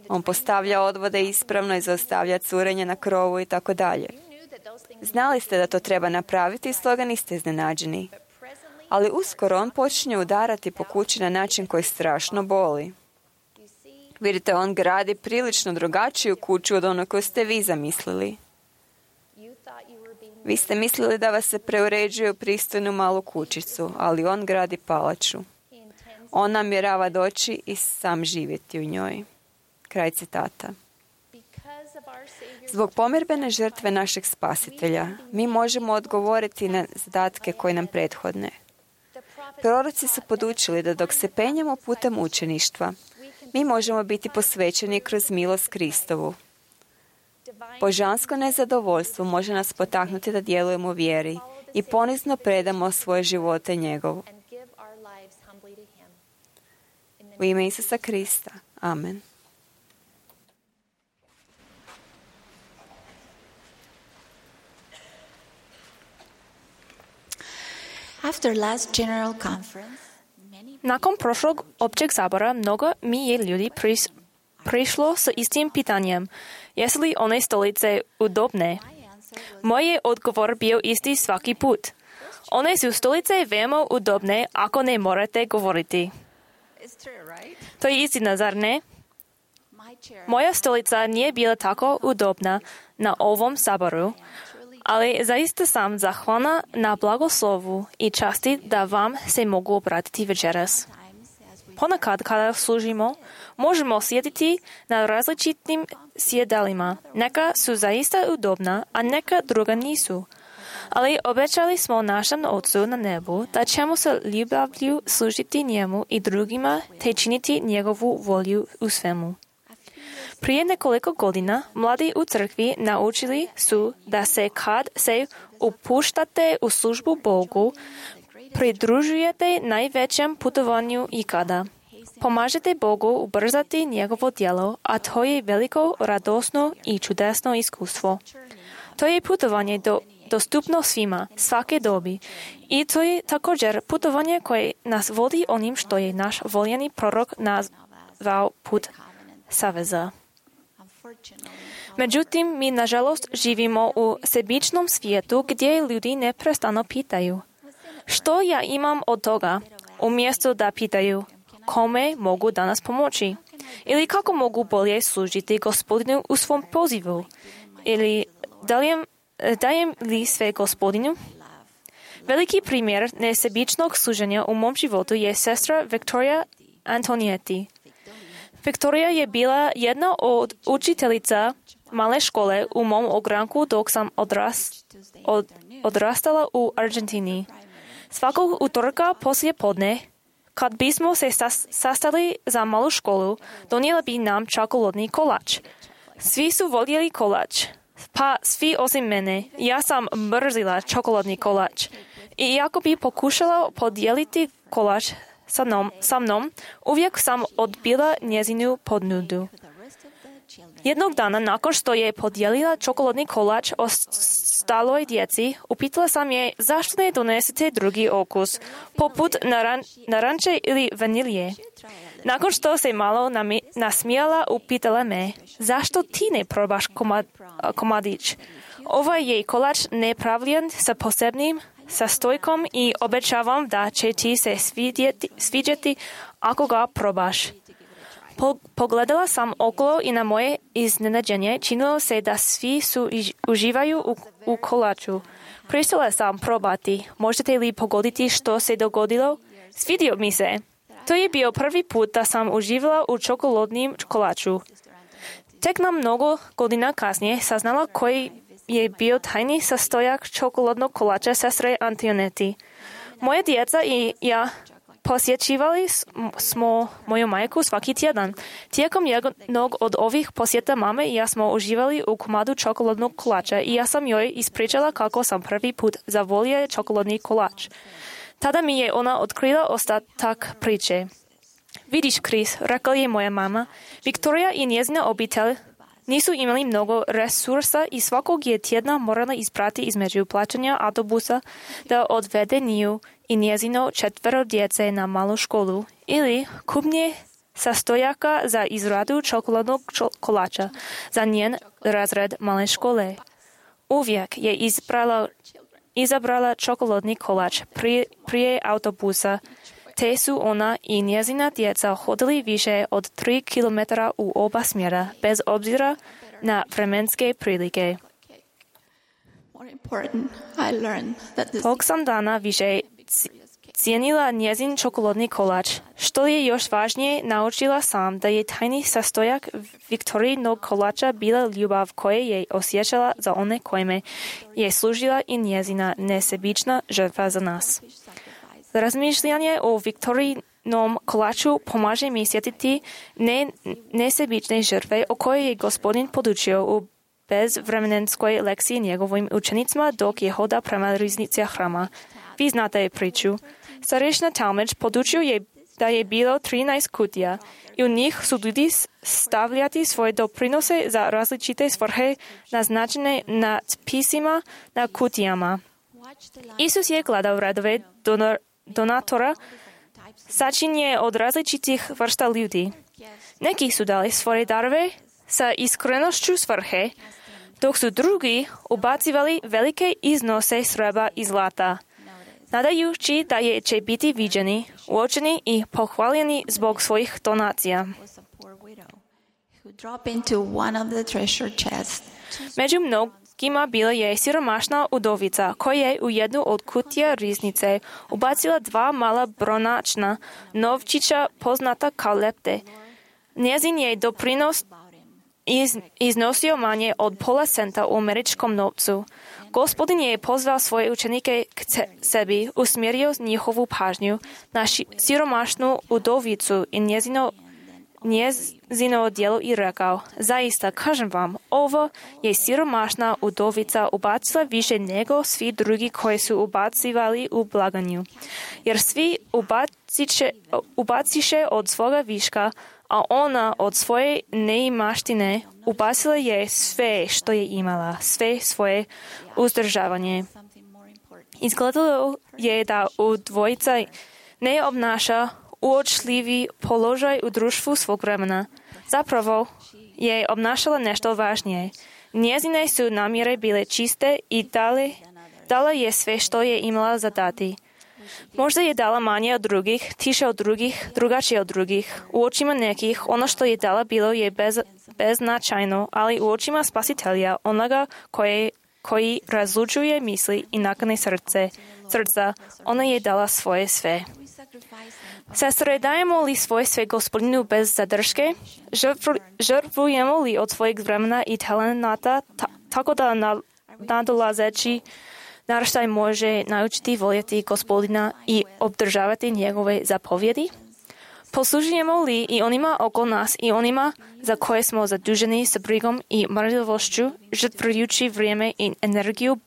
On postavlja odvode ispravno i zaustavlja curenje na krovu i tako dalje. Znali ste da to treba napraviti i stoga niste iznenađeni. Ali uskoro on počinje udarati po kući na način koji strašno boli. Vidite, on gradi prilično drugačiju kuću od ono koju ste vi zamislili. Vi ste mislili da vas se preuređuje u pristojnu malu kućicu, ali on gradi palaču. On namjerava doći i sam živjeti u njoj. Kraj citata. Zbog pomirbene žrtve našeg spasitelja, mi možemo odgovoriti na zadatke koji nam prethodne. Proroci su podučili da dok se penjemo putem učeništva, mi možemo biti posvećeni kroz milost Kristovu. Božansko nezadovoljstvo može nas potaknuti da djelujemo u vjeri i ponizno predamo svoje živote njegovu. U ime Isusa Krista. Amen. After last general conference, Nakon prošlog općeg sabora, mnogo mi je ljudi prišlo s istim pitanjem. Jesu li one stolice udobne? Moj je odgovor bio isti svaki put. One su stolice veoma udobne ako ne morate govoriti. To je istina, zar ne? Moja stolica nije bila tako udobna na ovom saboru, ali zaista sam zahvalna na blagoslovu i časti da vam se mogu obratiti večeras. Ponekad kada služimo, možemo sjediti na različitim sjedalima. Neka su zaista udobna, a neka druga nisu. Ali obećali smo našem Otcu na nebu da ćemo se ljubavlju služiti njemu i drugima te činiti njegovu volju u svemu. Prije nekoliko godina mladí u crkvi naučili su da se kad se upuštate u službu Bogu, pridružujete najvećem putovanju ikada. Pomažete Bogu ubrzati njegovo djelo, a to je veliko, radosno i čudesno iskustvo. To je putovanje dostupno svima, svake dobi. I to je također putovanje koje nas vodi onim što je naš voljeni prorok nazvao put saveza. Međutim, mi nažalost živimo u sebičnom svijetu gdje ljudi neprestano pitaju: što ja imam od toga? Umjesto da pitaju: kome mogu danas pomoći? Ili kako mogu bolje služiti Gospodinu u svom pozivu? Ili dajem li sve Gospodinu? Veliki primjer nesebičnog služenja u mom životu je sestra Victoria Antonietti. Victoria je bila jedna od učiteljica male škole u mom ogranku dok sam odrastala u Argentini. Svakog utorka poslije podne, kad bismo se sastali za malu školu, donijela bi nam čokoladni kolač. Svi su voljeli kolač, pa svi osim mene. Ja sam mrzila čokoladni kolač. I iako bi pokušala podijeliti kolač sa mnom, uvijek sam odbila njezinu ponudu. Jednog dana, nakon što je podijelila čokoladni kolač ostaloj djeci, upitala sam je zašto ne donesete drugi okus, poput naranče ili vanilje. Nakon što se malo nasmijala, upitala me: zašto ti ne probaš komadić? Ovaj je kolač nepravljen sa posebnim sastojkom i obećavam da će ti se sviđati ako ga probaš. Pogledala sam okolo i na moje iznenađenje činilo se da svi uživaju u kolaču. Pristala sam probati. Možete li pogoditi što se dogodilo? Svidio mi se. To je bio prvi put da sam uživala u čokoladnim kolaču. Tek na mnogo godina kasnije saznala koji je bio tajni sastojak čokoladnog kolača sestre Antonietti. Moje djeca i ja posjećivali smo moju majku svaki tjedan. Tijekom jednog od ovih posjeta mame i ja smo uživali u komadu čokoladnog kolača i ja sam joj ispričala kako sam prvi put zavolio čokoladni kolač. Tada mi je ona otkrila ostatak priče. Vidiš, Chris, rekla je moja mama, Victoria i njezina obitelj nisu imali mnogo resursa i svakog je tjedna morala isprati između plaćanja autobusa da odvede nju i njezino 4 djece na malu školu ili kupnje sastojaka za izradu čokoladnog kolača za njen razred male škole. Uvijek je izabrala čokoladni kolač prije autobusa, te su ona i njezina djeca hodili više od 3 kilometra u oba smjera, bez obzira na vremenske prilike. Tog sam dana više cijenila njezin čokoladni kolač. Što je još važnije, naučila sam da je tajni sastojak Viktorijinog kolača bila ljubav koje je osjećala za one kojima je služila i njezina nesebična žrtva za nas. Razmišljanje o Viktorijinom kolaču pomaže mi sjetiti nesebične žrtve o kojoj je Gospodin podučio u bezvremenskoj lekciji njegovim učenicima dok je hoda prema riznici hrama. Vi znate priču. Starešina Talmadge podučio je da je bilo 13 kutija i u njih su ljudi stavljati svoje doprinose za različite svrhe naznačene natpisima na kutijama. Isus je gledao radove donatora sačinje od različitih vrsta ljudi. Neki su dali svoje darove sa iskrenošću svrhe, dok su drugi ubacivali velike iznose srebra i zlata, nadajući da će biti viđeni, uočeni i pohvaljeni zbog svojih donacija. Među mnogima bila je siromašna udovica koja je u jednu od kutija riznice ubacila 2 mala bronačna novčića poznata kao lepte. Njezin je doprinos iznosio manje od pola centa u američkom novcu. Gospodin je pozvao svoje učenike k sebi, usmjerio njihovu pažnju na siromašnu udovicu i njezino njezino djelo i rekao, zaista, kažem vam, ovo je siromašna udovica ubacila više nego svi drugi koji su ubacivali u blaganju. Jer svi ubaciše od svoga viška, a ona od svoje neimaštine ubacila je sve što je imala, sve svoje uzdržavanje. Izgledalo je da u dvojica ne obnaša uočljivi položaj u društvu svog vremena. Zapravo je obnašala nešto važnije. Njezine su namjere bile čiste i dala je sve što je imala za dati. Možda je dala manje od drugih, tiše od drugih, drugačije od drugih. U očima nekih ono što je dala bilo je beznačajno, ali u očima Spasitelja, onoga koji razlučuje misli i nakane srca, ona je dala svoje sve. Sestre, dajemo li svoje sve Gospodinu bez zadrške? Žrtvujemo li od svojeg vremena i talenata tako da nadolazeći naraštaj može naučiti voljeti Gospodina i obdržavati njegove zapovjedi? Poslužujemo li i onima oko nas i onima za koje smo zaduženi sa brigom i marljivošću, žrtvujući vrijeme i energiju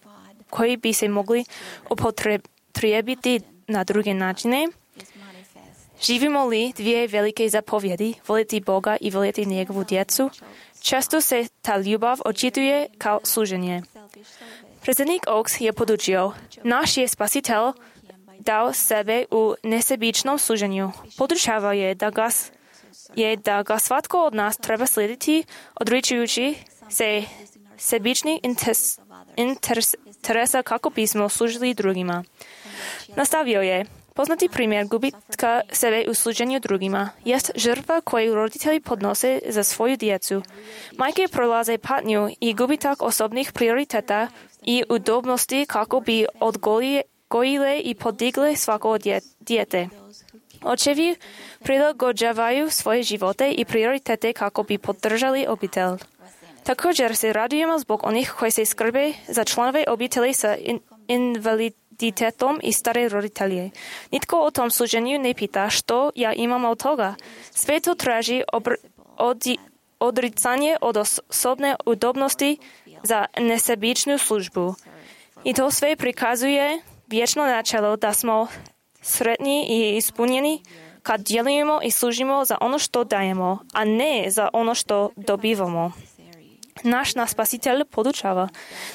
koji bi se mogli upotrijebiti na druge načine? Živimo li dvije velike zapovjedi, voljeti Boga i voljeti njegovu djecu? Često se ta ljubav očituje kao služenje. Predsjednik Oaks je podučio, naš je Spasitelj dao sebe u nesebičnom služenju. Podučava je da ga svatko od nas treba slijediti, odričujući se sebičnih interesa kako bismo služili drugima. Nastavio je, poznati primjer gubitka sebe u služenju drugima jest žrtva koju roditelji podnose za svoju djecu. Majke prolaze patnju i gubitak osobnih prioriteta i udobnosti kako bi odgojile i podigle svako dijete. Očevi prilagođavaju svoje živote i prioritete kako bi podržali obitelj. Također se radujemo zbog onih koji se skrbe za članove obitelji sa invaliditetom i stare roditelje. Nitko o tom služenju ne pita što ja imam od toga. Sve to traži odricanje od osobne udobnosti za nesebičnu službu. I to sve prikazuje vječno načelo da smo sretni i ispunjeni kad djelujemo i služimo za ono što dajemo, a ne za ono što dobivamo. Naš Spasitelj podučava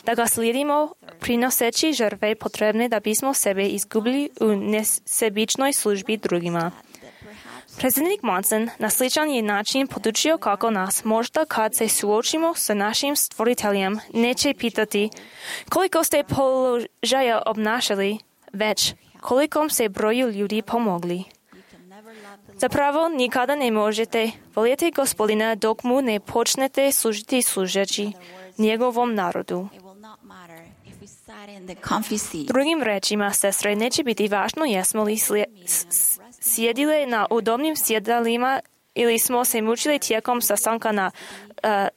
da ga slijedimo prinoseći žrtve potrebne da bismo sebe izgubili u nesebičnoj službi drugima. Predsjednik Monson na sličan je način podučio kako nas možda kad se suočimo sa našim stvoriteljem neće pitati koliko ste položaja obnašali, već kolikom se broju ljudi pomogli. Zapravo nikada ne možete voljeti Gospodina dok mu ne počnete služiti služeći njegovom narodu. Drugim rečima, sestre, neće biti važno jesmo li sjedile na udobnim sjedalima ili smo se mučili tijekom sastanka na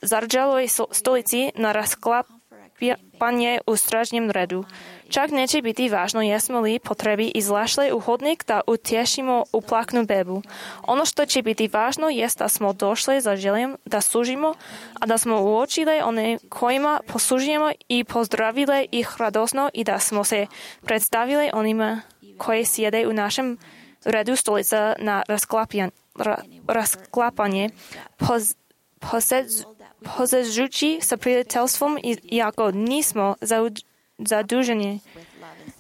zarđaloj stolici na rasklapanje u stražnjem redu. Čak neće biti važno jesmo li potrebi izlašli u hodnik da utješimo uplaknu bebu. Ono što će biti važno jest da smo došli za željem da služimo, a da smo uočili one kojima poslužujemo i pozdravili ih radosno i da smo se predstavili onima koji sjede u našem redu stolica na rasklapanje, posežući sa prijateljstvom iako nismo zaduženi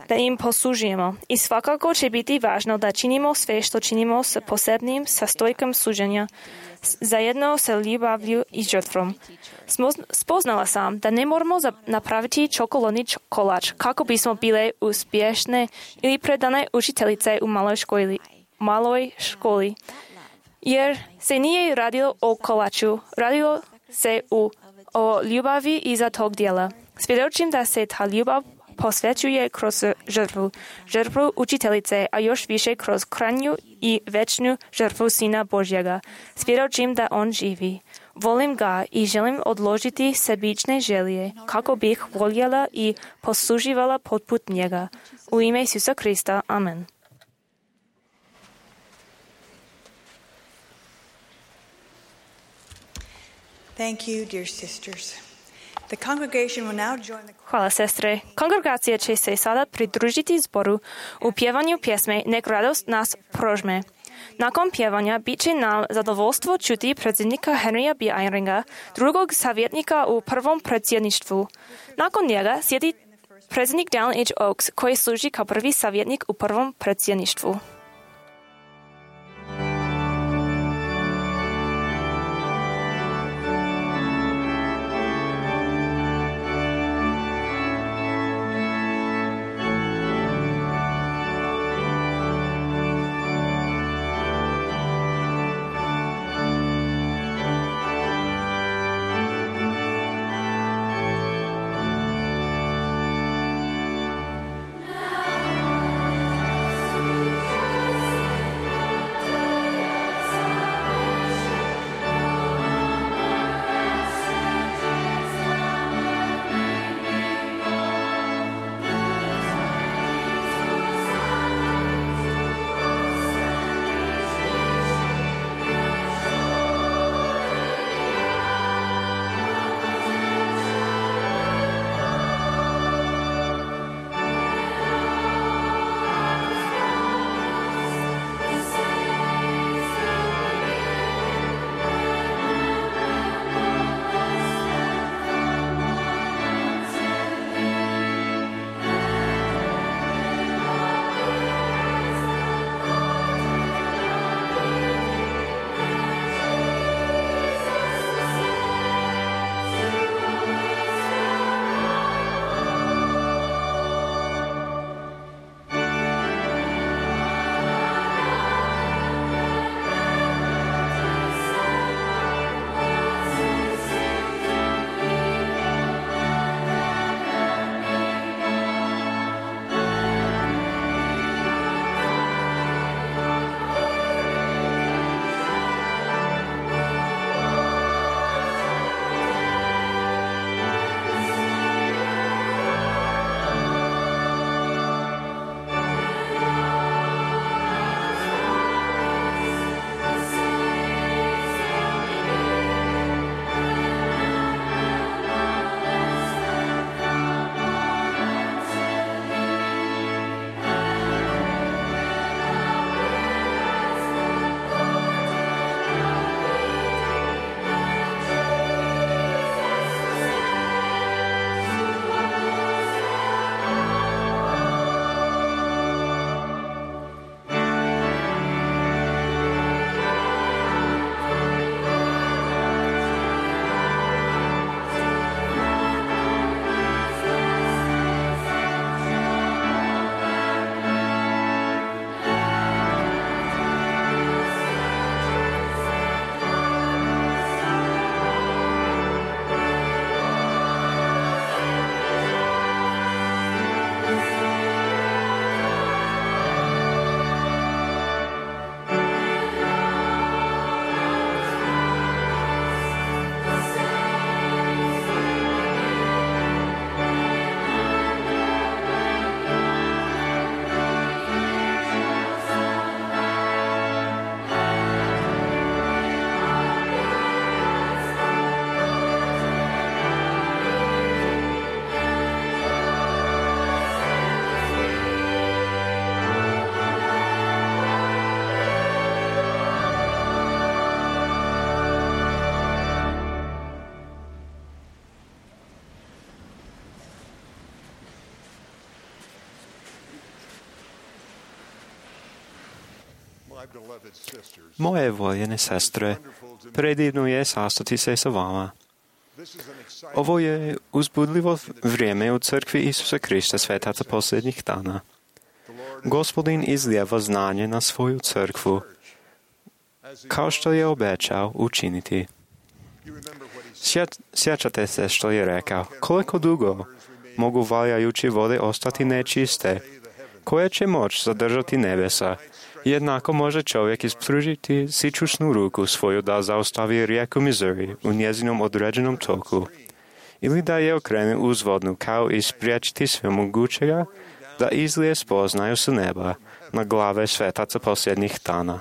da im poslužujemo. I svakako će biti važno da činimo sve što činimo s posebnim sastojkom služenja, zajedno sa ljubavlju i žrtvom. Spoznala sam da ne moramo napraviti čokoladni kolač kako bismo bile uspješne ili predane učiteljice u maloj školi. Jer se nije radilo o kolaču, radilo se o ljubavi iza tog djela. Svjedočim da se ta ljubav posvećuje kroz žrtvu učiteljice, a još više kroz krajnju i večnu žrtvu Sina Božjega. Svjedočim da on živi. Volim ga i želim odložiti sebične želje, kako bih voljela i posluživala poput njega. U ime Isusa Krista. Amen. Thank you, dear sisters. The congregation will now join the Hvala, sestre. Kongregácia će se sada pridružiti zboru u pjevanju pjesme Nek radost nas prožme. Nakon pjevanja bit će nam zadovoljstvo čuti predsjednika Henrya B. Eyringa, drugog savjetnika u prvom predsjedništvu. Nakon njega sjedi predsjednik Dallin H. Oaks, koji služi kao prvi savjetnik u prvom predsjedništvu. Moje voljene sestre, predivno je sastati se sa vama. Ovo je uzbudljivo vrijeme u crkvi Isusa Krista svetaca posljednjih dana. Gospodin izlijeva znanje na svoju crkvu, kao što je obećao učiniti. Sjećate se što je rekao, koliko dugo mogu valjajući vode ostati nečiste, koje će moć zadržati nebesa. Jednako može čovjek ispružiti sićušnu ruku svoju da zaustavi rijeku Missouri u njezinom određenom toku, ili da je okrene uzvodnu kao i spriječiti svemogućega da izlije spoznaju s neba na glave svetaca posljednjih dana.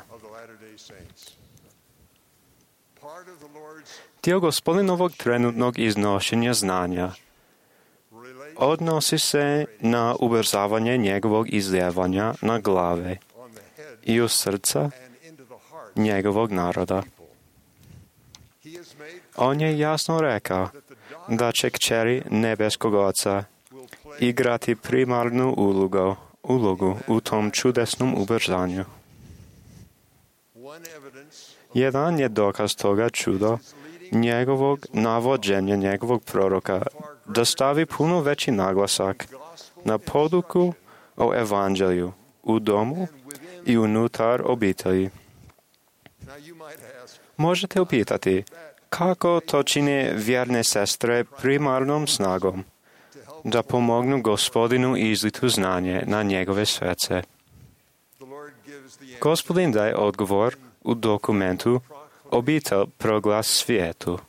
Dio Gospodinovog trenutnog iznošenja znanja odnosi se na ubrzavanje njegovog izljevanja na glave i u srca njegovog naroda. On je jasno rekao da će kćeri nebeskog Oca igrati primarnu ulogu u tom čudesnom ubrzanju. Jedan je dokaz toga čudo njegovog navođenja njegovog proroka da stavi puno veći naglasak na poduku o evanđelju u domu i unutar obitelji. Možete upitati kako to čine vjerne sestre primarnom snagom da pomognu Gospodinu izlitu znanje na njegove srce. Gospodin daje odgovor u dokumentu Obitelj proglas svijetu.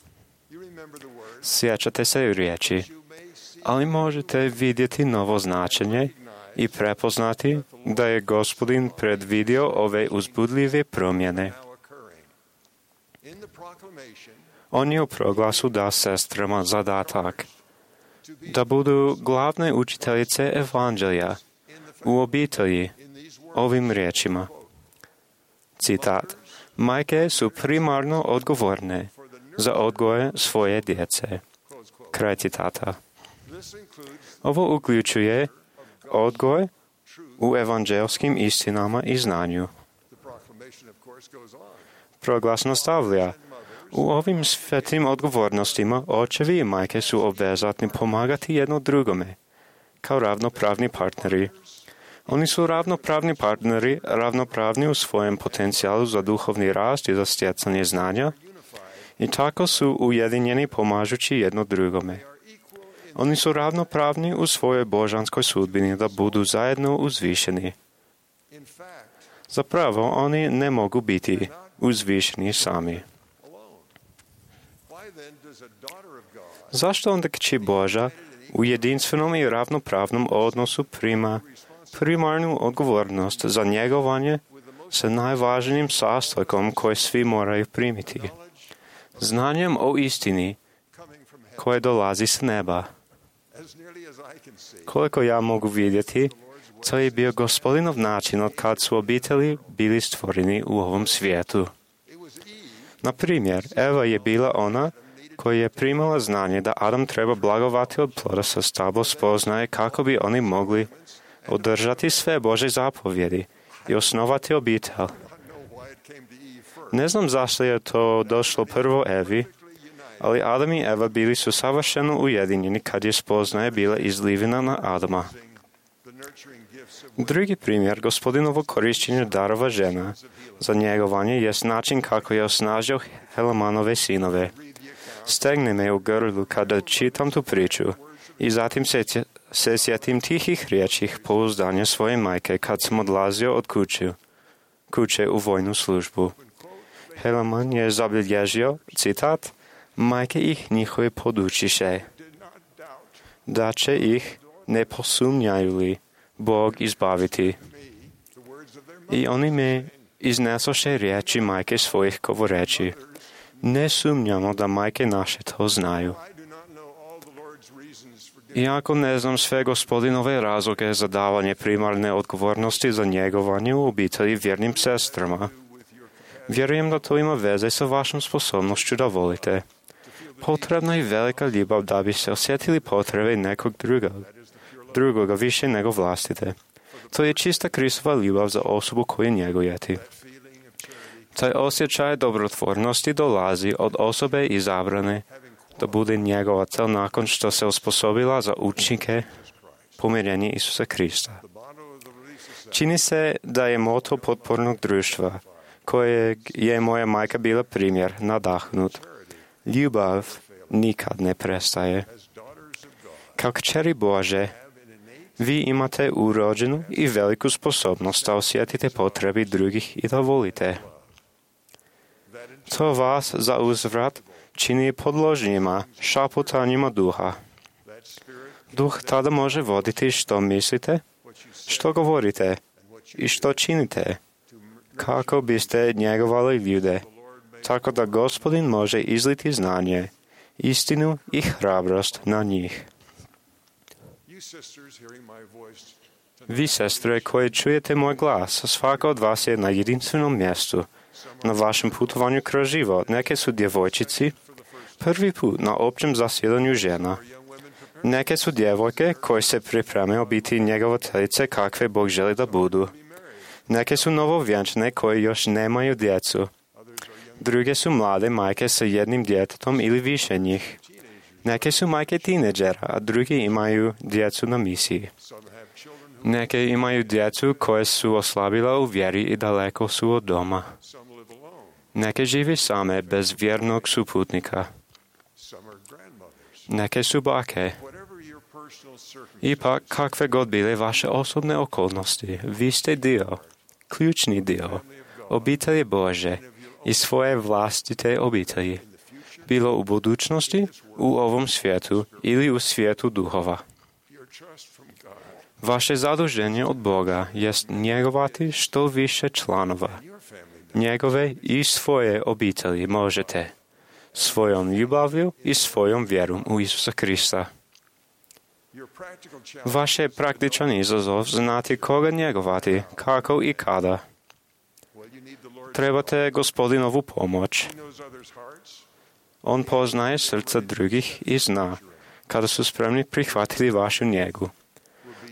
Sjećate se riječi, ali možete vidjeti novo značenje i prepoznati da je Gospodin predvidio ove uzbudljive promjene. On je u proglasu dao sestrama zadatak da budu glavne učiteljice evanđelja u obitelji ovim riječima. Citat: majke su primarno odgovorne za odgoje svoje djece. Kraj citata. Ovo uključuje odgoj u evanđelskim istinama i znanju. Proglas nastavlja: u ovim svetim odgovornostima očevi i majke su obvezatni pomagati jedno drugome, kao ravnopravni partneri. Oni su ravnopravni partneri, ravnopravni u svojem potencijalu za duhovni rast i za stjecanje znanja, i tako su ujedinjeni pomažući jedno drugome. Oni su ravnopravni u svojoj božanskoj sudbini da budu zajedno uzvišeni. Zapravo, oni ne mogu biti uzvišeni sami. Zašto onda kći Boža u jedinstvenom i ravnopravnom odnosu prima primarnu odgovornost za njegovanje sa najvažnijim sastojkom koje svi moraju primiti? Znanjem o istini koje dolazi s neba. Koliko ja mogu vidjeti, to je bio Gospodinov način od kad su obitelji bili stvoreni u ovom svijetu. Na primjer, Eva je bila ona koja je primala znanje da Adam treba blagovati od ploda sa stablo spoznaje kako bi oni mogli održati sve Božje zapovjedi i osnovati obitelj. Ne znam zašto je to došlo prvo Evi, ali Adam i Eva bili su savršeno ujedinjeni kad je spoznaje bila izlivena na Adama. Drugi primjer Gospodinovog korištenja darova žena za njegovanje jest način kako je osnažio Helamanove sinove. Stegne me u grlu kada čitam tu priču i zatim se sjetim tihih riječi pouzdanja svoje majke kad sam odlazio od kuće u vojnu službu. Helaman je zabilježio, citat: majke ih njihove podučiše, da će ih, ne posumnjaju li, Bog izbaviti. I oni me iznesoše riječi majke svojih govoreći: ne sumnjamo da majke naše to znaju. Iako ne znam sve Gospodinove razloge za davanje primarne odgovornosti za njegovanje u obitelji vjernim sestrama, vjerujem da to ima veze sa vašom sposobnošću da volite. Potrebna je velika ljubav da bi se osjetili potrebe nekog drugoga više nego vlastite. To je čista Kristova ljubav za osobu koju njegujete. Taj osjećaj dobrotvornosti dolazi od osobe izabrane da bude njegovatelj nakon što se osposobila za učenike pomirenja Isusa Krista. Čini se da je moto potpornog društva, kojeg je moja majka bila primjer, nadahnut. Ljubav nikad ne prestaje. Kao kćeri Bože, vi imate urođenu i veliku sposobnost da osjetite potrebi drugih i da volite. To vas za uzvrat čini podložnjima šaputanjima duha. Duh tada može voditi što mislite, što govorite i što činite, kako biste njegovali ljude tako da Gospodin može izliti znanje, istinu i hrabrost na njih. Vi, sestre, koje čujete moj glas, svaka od vas je na jedinstvenom mjestu. Na vašem putovanju kroz život neke su djevojčici, prvi put na općem zasjedanju žena. Neke su djevojke koje se pripremaju biti njegovateljice kakve Bog želi da budu. Neke su novovjenčane koje još nemaju djecu. Druge su mlade majke sa jednim djetetom ili više njih. Neke su majke tineđera, a drugi imaju djecu na misiji. Neke imaju djecu koje su oslabila u vjeri i daleko su od doma. Neke žive same bez vjernog suputnika. Neke su bake. Ipak, kakve god bile vaše osobne okolnosti, vi ste dio, ključni dio, obitelji Bože i svoje vlastite obitelji, bilo u budućnosti, u ovom svijetu ili u svijetu duhova. Vaše zaduženje od Boga jest njegovati što više članova. Njegove i svoje obitelji možete svojom ljubavlju i svojom vjerom u Isusa Krista. Vaš je praktičan izazov znati koga njegovati, kako i kada. Trebate Gospodinovu pomoć. On poznaje srca drugih i zna kada su spremni prihvatiti vašu njegu.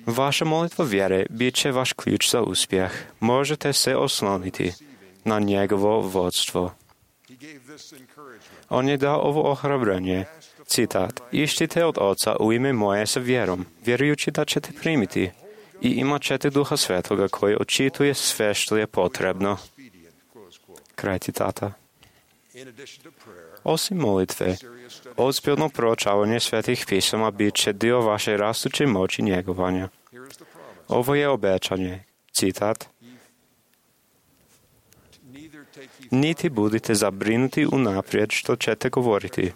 Vaša molitva vjere bit će vaš ključ za uspjeh. Možete se osloniti na njegovo vodstvo. On je dao ovo ohrabrenje. Citat, iščite od Oca u ime moje sa vjerom, vjerujući da ćete primiti i imat ćete Duha Svetoga koji očituje sve što je potrebno. Kraj citata. Osim molitve, ozbiljno proučavanje svetih pisama bit će dio vaše rastuće moći njegovanja. Ovo je obećanje. Citat. Niti budite zabrinuti unaprijed što ćete govoriti,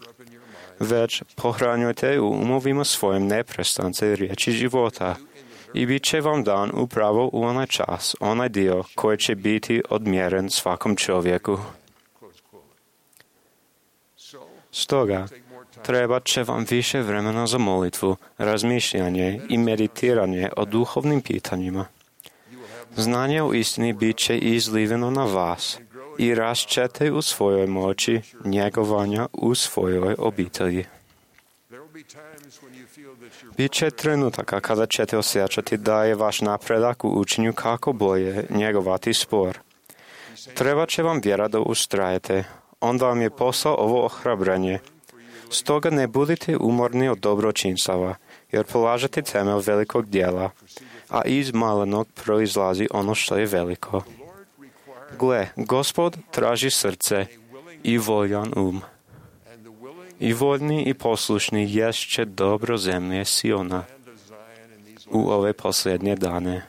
već pohranjujte u umovima svojim neprestance riječi života i bit će vam dan upravo u onaj čas, onaj dio koji će biti odmjeren svakom čovjeku. Stoga, trebat će vam više vremena za molitvu, razmišljanje i meditiranje o duhovnim pitanjima. Znanje o istini bit će izliveno na vas i rast ćete u svojoj moći njegovanja u svojoj obitelji. Biće trenutaka kada ćete osjećati da je vaš napredak u učenju kako bolje njegovati spor. Treba će vam vjera da ustrajete. Onda vam je posao ovo ohrabrenje. Stoga ne budite umorni od dobročinstava, jer polažete temelj velikog djela, a iz malenog proizlazi ono što je veliko. Gle, Gospod traži srce i voljan I voljni i poslušni ješće dobro zemlje Siona u ove posljednje dane.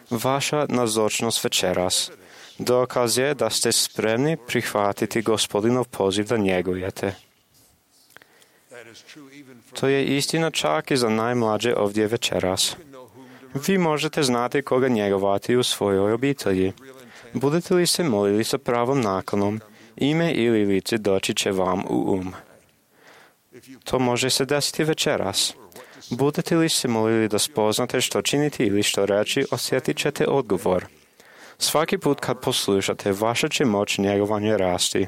Vaša nazočnost večeras dokaz je da ste spremni prihvatiti Gospodinov poziv da njegujete. To je istina čak i za najmlađe ovdje večeras. Vi možete znati koga njegovati u svojoj obitelji. Budete li se molili sa pravom naklonom, ime ili lice doći će vam u To može se desiti večeras. Budete li se molili da spoznate što činiti ili što reći, osjetit ćete odgovor. Svaki put kad poslušate, vaša će moć njegovanje rasti.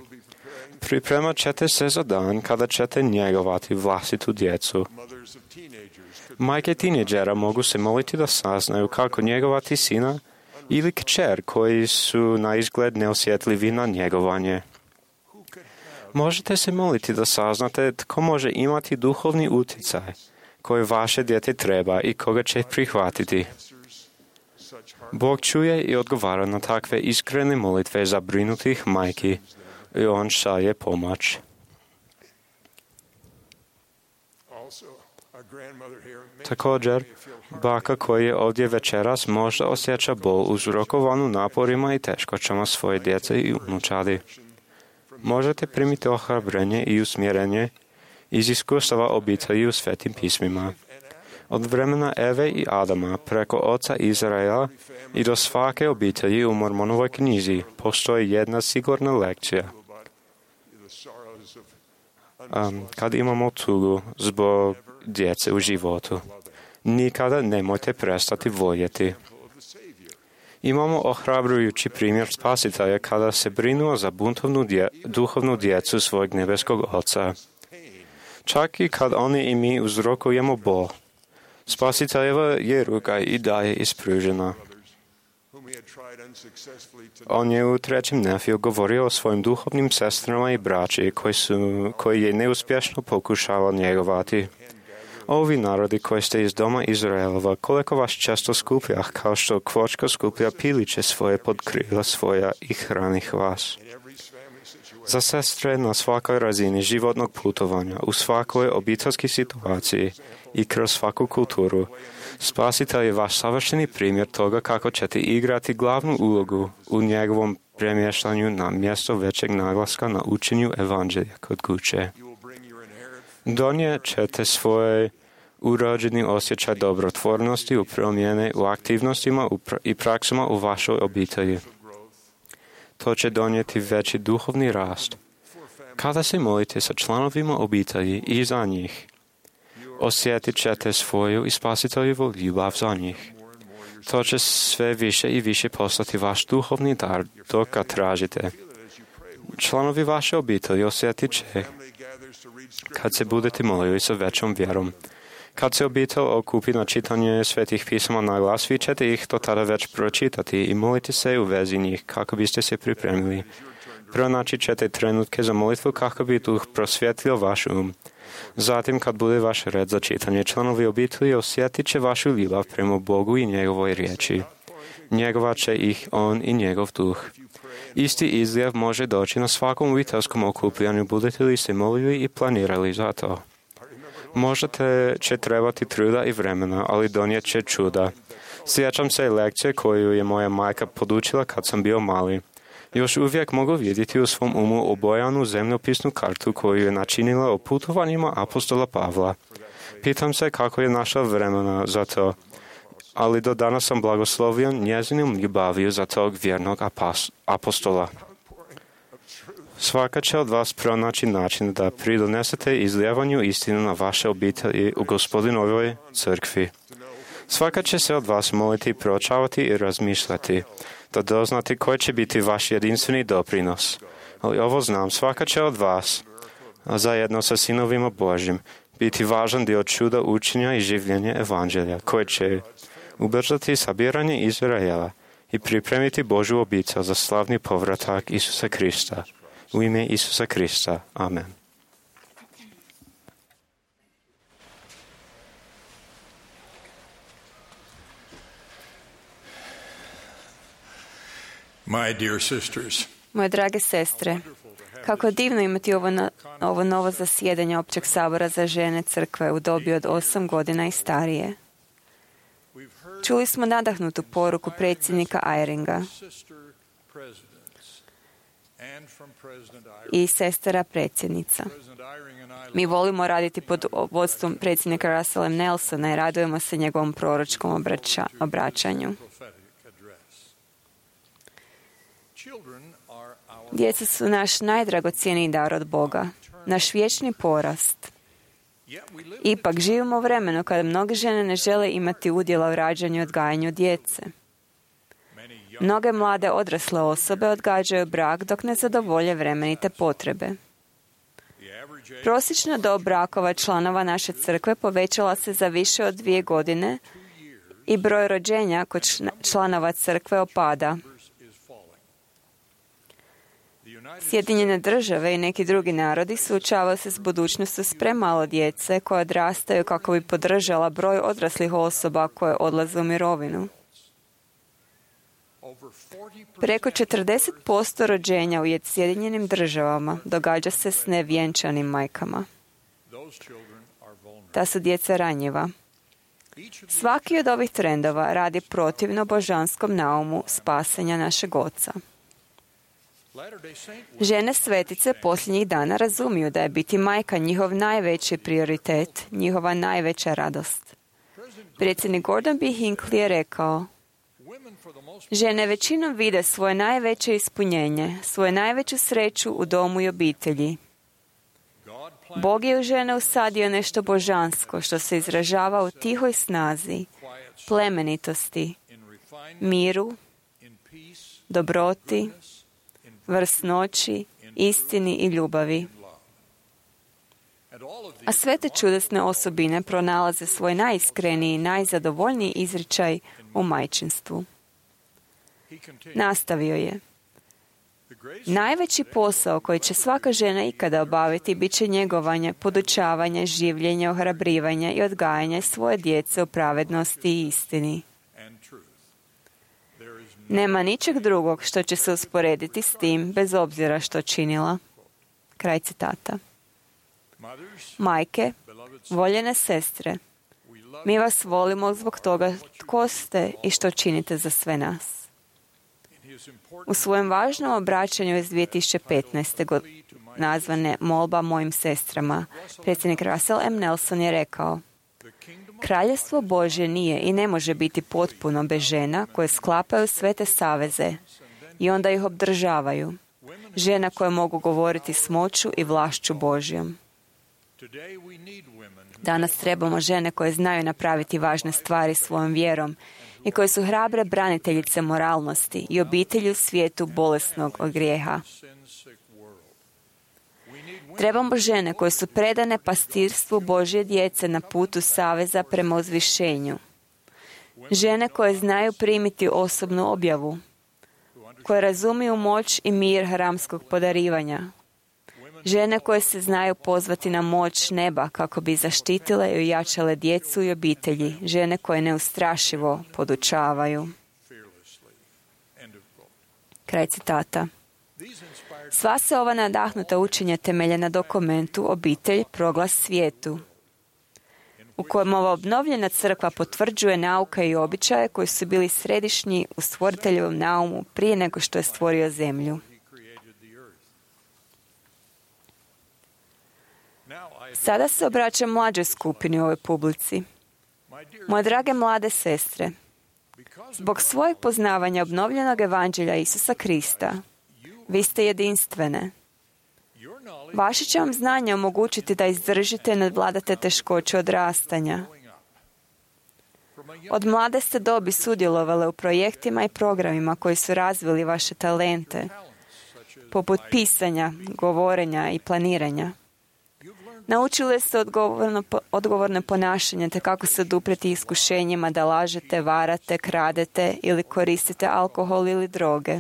Pripremat ćete se za dan kada ćete njegovati vlastitu djecu. Majke tineđera mogu se moliti da saznaju kako njegovati sina ili kćer koji su na izgled neosjetljivi na njegovanje. Možete se moliti da saznate tko može imati duhovni utjecaj koji vaše dijete treba i koga će prihvatiti. Bog čuje i odgovara na takve iskrene molitve zabrinutih majki i on šalje pomoć. Također, baka koja je ovdje večeras možda osjeća bol uzrokovanu naporima i teškoćama svoje djece i unučadi. Možete primiti ohrabrenje i usmjerenje iz iskustava obitelji u svetim pismima. Od vremena Eve i Adama preko oca Izraela i do svake obitelji u Mormonovoj knjizi postoji jedna sigurna lekcija. Kad imamo tugu zbog djece u životu, nikada nemojte prestati voljeti. Imamo ohrabrujući primjer Spasitelja kada se brinuo za duhovnu djecu svojeg nebeskog Oca. Čak i kad oni i mi uzrokujemo bol, Spasiteljeva je ruka i dalje ispružena. On je u 3. Nefiju govorio o svojim duhovnim sestrama i braći koji je neuspješno pokušavao njegovati. Ovi narodi koji ste iz doma Izraelova, koliko vas često skuplja, kao što kvočka skuplja piliće svoje pod krila svoja i hranih vas. Za sestre na svakoj razini životnog putovanja, u svakoj obiteljskoj situaciji i kroz svaku kulturu, Spasitelj je vaš savršeni primjer toga kako ćete igrati glavnu ulogu u njegovom premještanju na mjesto većeg naglaska na učenju evanđelja kod kuće. Donijet ćete svoj urođeni osjećaj dobrotvornosti u promjene u aktivnostima i praksama u vašoj obitelji. To će donijeti veći duhovni rast. Kada se molite sa članovima obitelji i za njih, osjetit ćete svoju i Spasiteljevu ljubav za njih. To će sve više i više postati vaš duhovni dar dok ga tražite. Članovi vaše obitelji osjetit će kad se budete molili sa većom vjerom. Kad se obitelj okupi na čitanje svetih pisama na glas, vi ćete ih do tada već pročitati i moliti se u vezi njih kako biste se pripremili. Pronaći ćete trenutke za molitvu kako bi Duh prosvjetlio vaš Zatim, kad bude vaš red za čitanje, članovi obitelji osjetit će vašu ljubav prema Bogu i njegovoj riječi. Njegovat će ih on i njegov Duh. Isti izljev može doći na svakom obiteljskom okupljanju, budete li se molili i planirali za to. Možda će trebati truda i vremena, ali donijet će čuda. Sjećam se lekcije koju je moja majka podučila kad sam bio mali. Još uvijek mogu vidjeti u svom umu obojanu zemljopisnu kartu koju je načinila o putovanjima apostola Pavla. Pitam se kako je našla vremena za to, ali do danas sam blagoslovljen njezinom ljubaviju za tog vjernog apostola. Svaka će od vas pronaći način da pridonesete izljevanju istinu na vaše obitelji u Gospodinovoj crkvi. Svaka će se od vas moliti, proučavati i razmišljati, da doznati koji će biti vaš jedinstveni doprinos. Ali ovo znam, svaka će od vas, a zajedno sa sinovima Božjim, biti važan dio čuda učenja i življenja evanđelja, koji će ubrzati sabiranje Izraela i pripremiti Božju obitelj za slavni povratak Isusa Krista. U ime Isusa Krista. Amen. My dear sisters, Moje drage sestre, kako divno imati ovo novo zasjedanje Općeg sabora za žene crkve u dobi od 8 godina i starije. Čuli smo nadahnutu poruku predsjednika Eyringa i sestara predsjednica. Mi volimo raditi pod vodstvom predsjednika Russella Nelsona i radujemo se njegovom proročkom obraćanju. Djeca su naš najdragocjeniji dar od Boga, naš vječni porast. Ipak živimo u vremenu kada mnoge žene ne žele imati udjela u rađanju i odgajanju djece. Mnoge mlade odrasle osobe odgađaju brak dok ne zadovolje vremenite potrebe. Prosječna dob brakova članova naše crkve povećala se za više od 2 godine i broj rođenja kod članova crkve opada. Sjedinjene države i neki drugi narodi suočavaju se s budućnošću s premalo djece koja odrastaju kako bi podržala broj odraslih osoba koje odlaze u mirovinu. Preko 40% rođenja u Sjedinjenim državama događa se s nevjenčanim majkama. Ta su djeca ranjiva. Svaki od ovih trendova radi protivno božanskom naumu spasenja našeg Oca. Žene svetice posljednjih dana razumiju da je biti majka njihov najveći prioritet, njihova najveća radost. Predsjednik Gordon B. Hinckley je rekao: žene većinom vide svoje najveće ispunjenje, svoju najveću sreću u domu i obitelji. Bog je u žene usadio nešto božansko što se izražava u tihoj snazi, plemenitosti, miru, dobroti, vrsnoći, istini i ljubavi. A sve te čudesne osobine pronalaze svoj najiskreniji i najzadovoljniji izričaj u majčinstvu. Nastavio je: najveći posao koji će svaka žena ikada obaviti bit će njegovanje, podučavanje, življenje, ohrabrivanje i odgajanje svoje djece u pravednosti i istini. Nema ničeg drugog što će se usporediti s tim, bez obzira što činila. Kraj citata. Majke, voljene sestre, mi vas volimo zbog toga tko ste i što činite za sve nas. U svojem važnom obraćanju iz 2015. godine, nazvane Molba mojim sestrama, predsjednik Russell M. Nelson je rekao: Kraljevstvo Božje nije i ne može biti potpuno bez žena koje sklapaju sve te saveze i onda ih obdržavaju. Žena koje mogu govoriti s moću i vlašću Božjom. Danas trebamo žene koje znaju napraviti važne stvari svojom vjerom i koje su hrabre braniteljice moralnosti i obitelji u svijetu bolesnog od grijeha. Trebamo žene koje su predane pastirstvu Božje djece na putu saveza prema uzvišenju. Žene koje znaju primiti osobnu objavu, koje razumiju moć i mir haramskog podarivanja. Žene koje se znaju pozvati na moć neba kako bi zaštitile i ojačale djecu i obitelji. Žene koje neustrašivo podučavaju. Kraj citata. Sva se ova nadahnuta učenja temelje na dokumentu Obitelj, proglas svijetu, u kojem ova obnovljena crkva potvrđuje nauke i običaje koji su bili središnji u stvoriteljevom naumu prije nego što je stvorio zemlju. Sada se obraćam mlađoj skupini u ovoj publici. Moje drage mlade sestre, zbog svojeg poznavanja obnovljenog evanđelja Isusa Krista, vi ste jedinstvene. Vaše će vam znanje omogućiti da izdržite i nadvladate teškoće odrastanja. Od mlade ste dobi sudjelovale u projektima i programima koji su razvili vaše talente, poput pisanja, govorenja i planiranja. Naučili ste odgovorno ponašanje te kako se oduprijeti iskušenjima da lažete, varate, kradete ili koristite alkohol ili droge.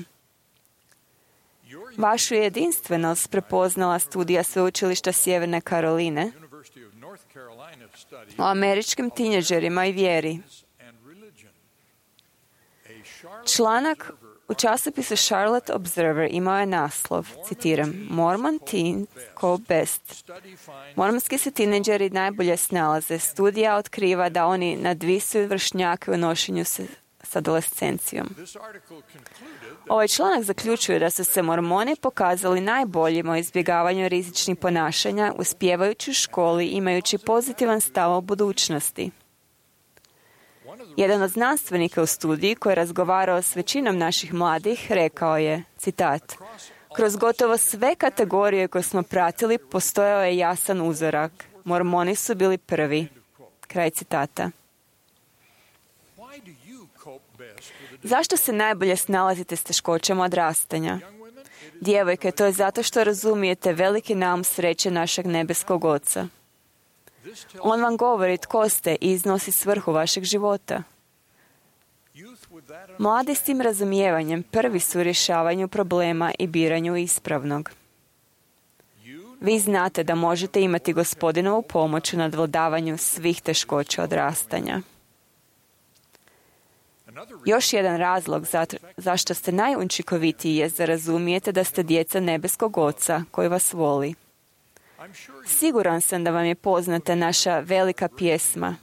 Vašu jedinstvenost prepoznala studija Sveučilišta Sjeverne Karoline o američkim tineđerima i vjeri. Članak u časopisu Charlotte Observer imao je naslov, citiram, Mormon teens cope best. Mormonski se tineđeri najbolje snalaze. Studija otkriva da oni nadvisuju vršnjake u nošenju s adolescencijom. Ovaj članak zaključuje da su se mormoni pokazali najboljima u izbjegavanju rizičnih ponašanja, uspijevajući u školi, imajući pozitivan stav o budućnosti. Jedan od znanstvenika u studiji koji je razgovarao s većinom naših mladih rekao je, citat, kroz gotovo sve kategorije koje smo pratili postojao je jasan uzorak. Mormoni su bili prvi. Kraj citata. Zašto se najbolje snalazite s teškoćama odrastanja? Djevojke, to je zato što razumijete veliki naum sreće našeg nebeskog Oca. On vam govori tko ste i iznosi svrhu vašeg života. Mladi s tim razumijevanjem prvi su u rješavanju problema i biranju ispravnog. Vi znate da možete imati Gospodinovu pomoć u nadvladavanju svih teškoća odrastanja. Još jedan razlog zašto ste najučinkovitiji je da razumijete da ste djeca nebeskog Oca koji vas voli. Siguran sam da vam je poznata naša velika pjesma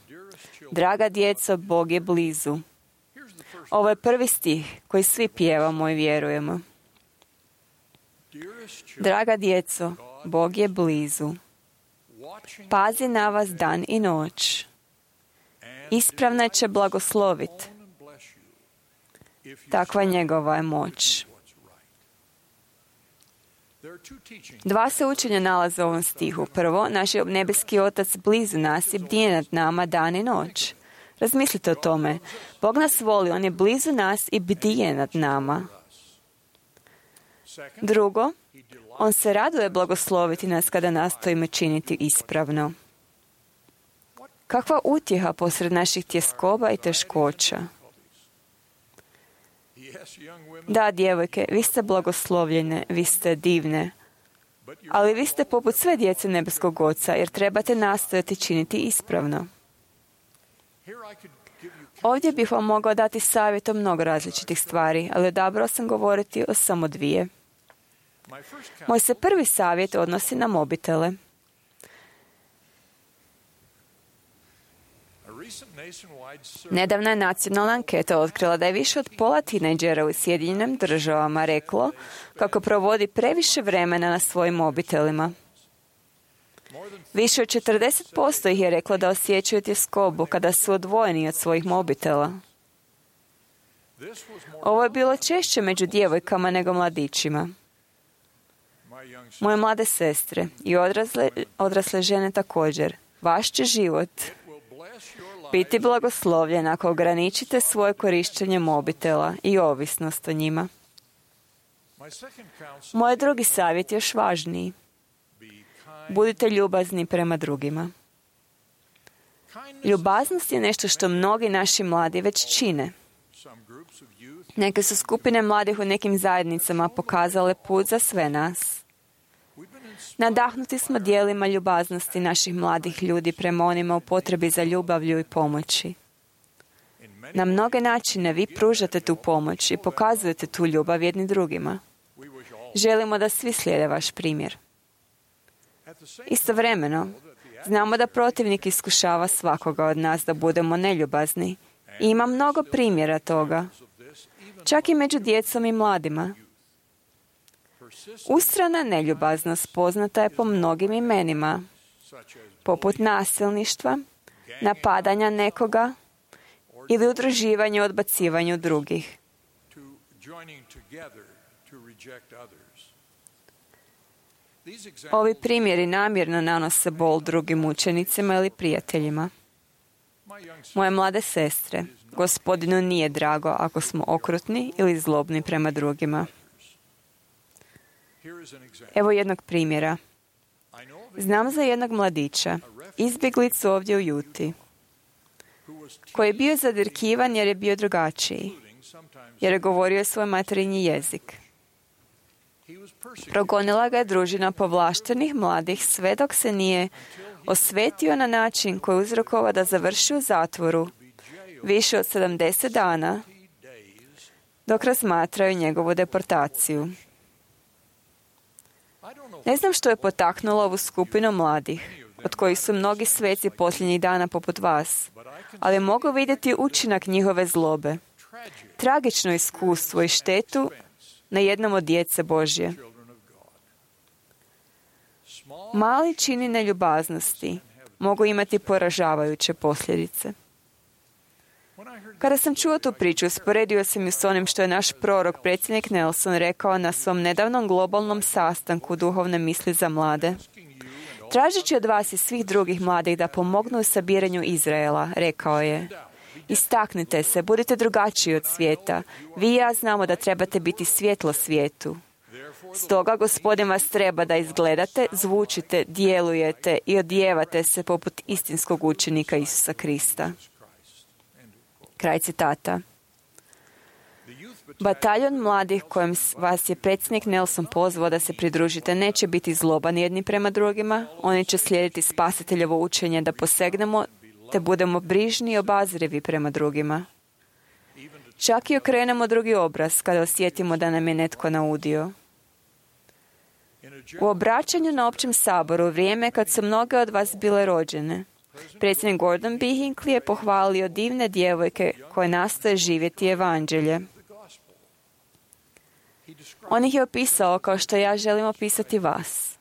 Draga djeco, Bog je blizu. Ovo je prvi stih koji svi pjevamo i vjerujemo. Draga djeco, Bog je blizu. Pazi na vas dan i noć. ispravne će blagosloviti. Takva njegova je moć. Dva se učenja nalaze u ovom stihu. Prvo, naš je nebeski Otac blizu nas i bdije nad nama dan i noć. Razmislite o tome. Bog nas voli, on je blizu nas i bdije nad nama. Drugo, on se raduje blagosloviti nas kada nastojimo činiti ispravno. Kakva utjeha posred naših tjeskoba i teškoća. Da, djevojke, vi ste blagoslovljene, vi ste divne, ali vi ste poput sve djece nebeskog Oca, jer trebate nastojati činiti ispravno. Ovdje bih vam mogao dati savjet o mnogo različitih stvari, ali odabrao sam govoriti o samo dvije. Moj se prvi savjet odnosi na mobitele. Nedavna je nacionalna anketa otkrila da je više od pola tinejdžera u Sjedinjenim Državama reklo kako provodi previše vremena na svojim mobitelima. Više od 40% ih je reklo da osjećaju tjeskobu kada su odvojeni od svojih mobitela. Ovo je bilo češće među djevojkama nego mladićima. Moje mlade sestre i odrasle žene također, vaš će život biti blagoslovljen ako ograničite svoje korištenje mobitela i ovisnost o njima. Moj drugi savjet je još važniji. Budite ljubazni prema drugima. Ljubaznost je nešto što mnogi naši mladi već čine. Neke su skupine mladih u nekim zajednicama pokazale put za sve nas. Nadahnuti smo dijelima ljubaznosti naših mladih ljudi prema onima u potrebi za ljubavlju i pomoći. Na mnoge načine vi pružate tu pomoć i pokazujete tu ljubav jedni drugima. Želimo da svi slijede vaš primjer. Istovremeno, znamo da protivnik iskušava svakoga od nas da budemo neljubazni. I ima mnogo primjera toga, čak i među djecom i mladima. Ustrana neljubaznost poznata je po mnogim imenima, poput nasilništva, napadanja nekoga ili udruživanja i odbacivanja drugih. Ovi primjeri namjerno nanose bol drugim učenicima ili prijateljima. Moje mlade sestre, Gospodinu nije drago ako smo okrutni ili zlobni prema drugima. Evo jednog primjera. Znam za jednog mladića, izbjeglicu ovdje u Juti, koji je bio zadirkivan jer je bio drugačiji, jer je govorio svoj materinji jezik. Progonila ga je družina povlaštenih mladih sve dok se nije osvetio na način koji uzrokovao da završi u zatvoru više od 70 dana dok razmatraju njegovu deportaciju. Ne znam što je potaknulo ovu skupinu mladih, od kojih su mnogi sveci posljednjih dana poput vas, ali mogu vidjeti učinak njihove zlobe, tragično iskustvo i štetu na jednom od djece Božje. Mali čini neljubaznosti mogu imati poražavajuće posljedice. Kada sam čuo tu priču, usporedio sam ju s onim što je naš prorok, predsjednik Nelson, rekao na svom nedavnom globalnom sastanku duhovne misli za mlade. Tražeći od vas i svih drugih mladih da pomognu u sabiranju Izraela, rekao je: istaknite se, budite drugačiji od svijeta. Vi i ja znamo da trebate biti svjetlo svijetu. Stoga Gospodin vas treba da izgledate, zvučite, djelujete i odijevate se poput istinskog učenika Isusa Krista. Kraj citata. Bataljon mladih kojem vas je predsjednik Nelson pozvao da se pridružite neće biti zloban jedni prema drugima. Oni će slijediti Spasiteljevo učenje da posegnemo te budemo brižni i obazrivi prema drugima. Čak i okrenemo drugi obraz kada osjetimo da nam je netko naudio. U obraćanju na općem saboru, vrijeme kad su mnoge od vas bile rođene, predsjednik Gordon B. Hinckley je pohvalio divne djevojke koje nastoje živjeti evanđelje. On ih je opisao kao što ja želim opisati vas.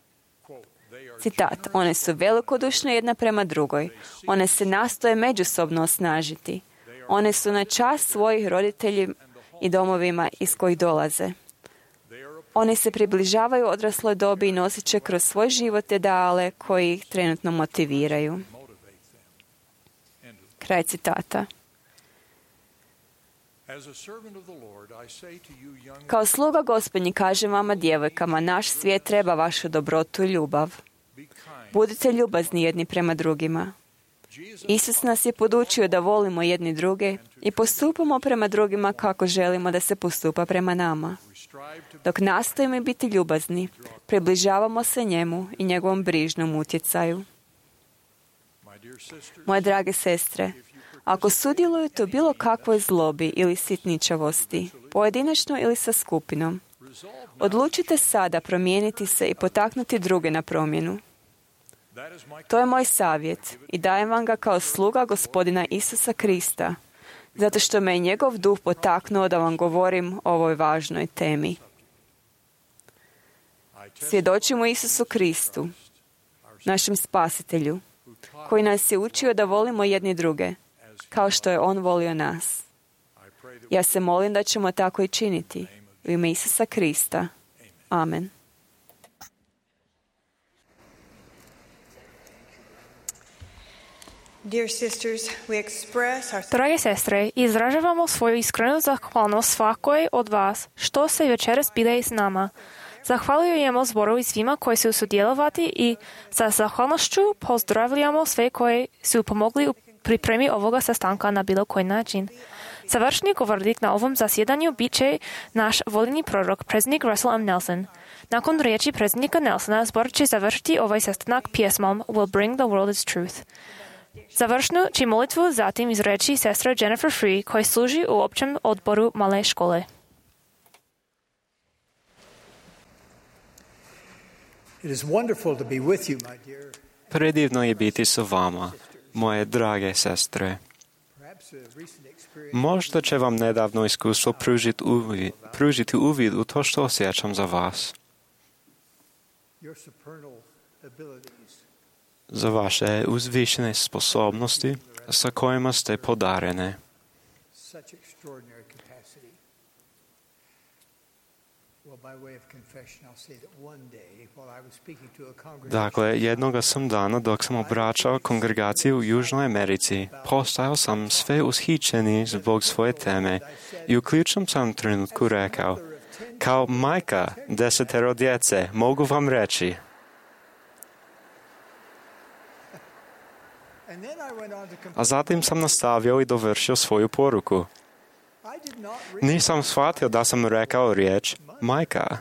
Citat, one su velikodušne jedna prema drugoj. One se nastoje međusobno osnažiti. One su na čast svojih roditelji i domovima iz kojih dolaze. Oni se približavaju odrasloj dobi i nosit će kroz svoj život ideale koji ih trenutno motiviraju. Kraj citata. Kao sluga Gospodnji kažem vama, djevojkama, naš svijet treba vašu dobrotu i ljubav. Budite ljubazni jedni prema drugima. Isus nas je podučio da volimo jedni druge i postupamo prema drugima kako želimo da se postupa prema nama. Dok nastojimo biti ljubazni, približavamo se njemu i njegovom brižnom utjecaju. Moje drage sestre, ako sudjelujete u bilo kakvoj zlobi ili sitničavosti, pojedinačno ili sa skupinom, odlučite sada promijeniti se i potaknuti druge na promjenu. To je moj savjet i dajem vam ga kao sluga Gospodina Isusa Krista, zato što me je njegov duh potaknuo da vam govorim o ovoj važnoj temi. Svjedočimo Isusu Kristu, našem spasitelju, koji nas je učio da volimo jedni druge, kao što je on volio nas. Ja se molim da ćemo tako i činiti. U ime Isusa Krista. Amen. Dear sisters, we express our Drage sestre, izražavamo svoju iskrenu zahvalnost svakoj od vas, što se večeras bile s nama. Zahvaljujemo zboru i svima koji su sudjelovati i sa zahvalnošću pozdravljamo sve koji su pomogli u pripremi ovoga sastanka na bilo koji način. Završni govornik na ovom zasjedanju bit će naš voljeni prorok, predsjednik Russell M. Nelson. Nakon riječi predsjednika Nelsona, zbor će završiti ovaj sastanak pjesmom Will Bring the World Its Truth. Završnu će molitvu zatim izreći sestra Jennifer Free, koja služi u općem odboru male škole. Predivno je biti sa vama, moje drage sestre. Možda će vam nedavno iskustvo pružiti uvid u to što osjećam za vas. Za vaše uzvišene sposobnosti sa kojima ste podarene. Dakle, jednoga sam dana dok sam obraćao kongregaciju u Južnoj Americi, postajao sam sve ushićeni zbog svoje teme i u ključnom sam trenutku rekao, kao majka 10 djece, mogu vam reći. A zatim sam nastavio i dovršio svoju poruku. Nisam shvatio da sam rekao riječ majka.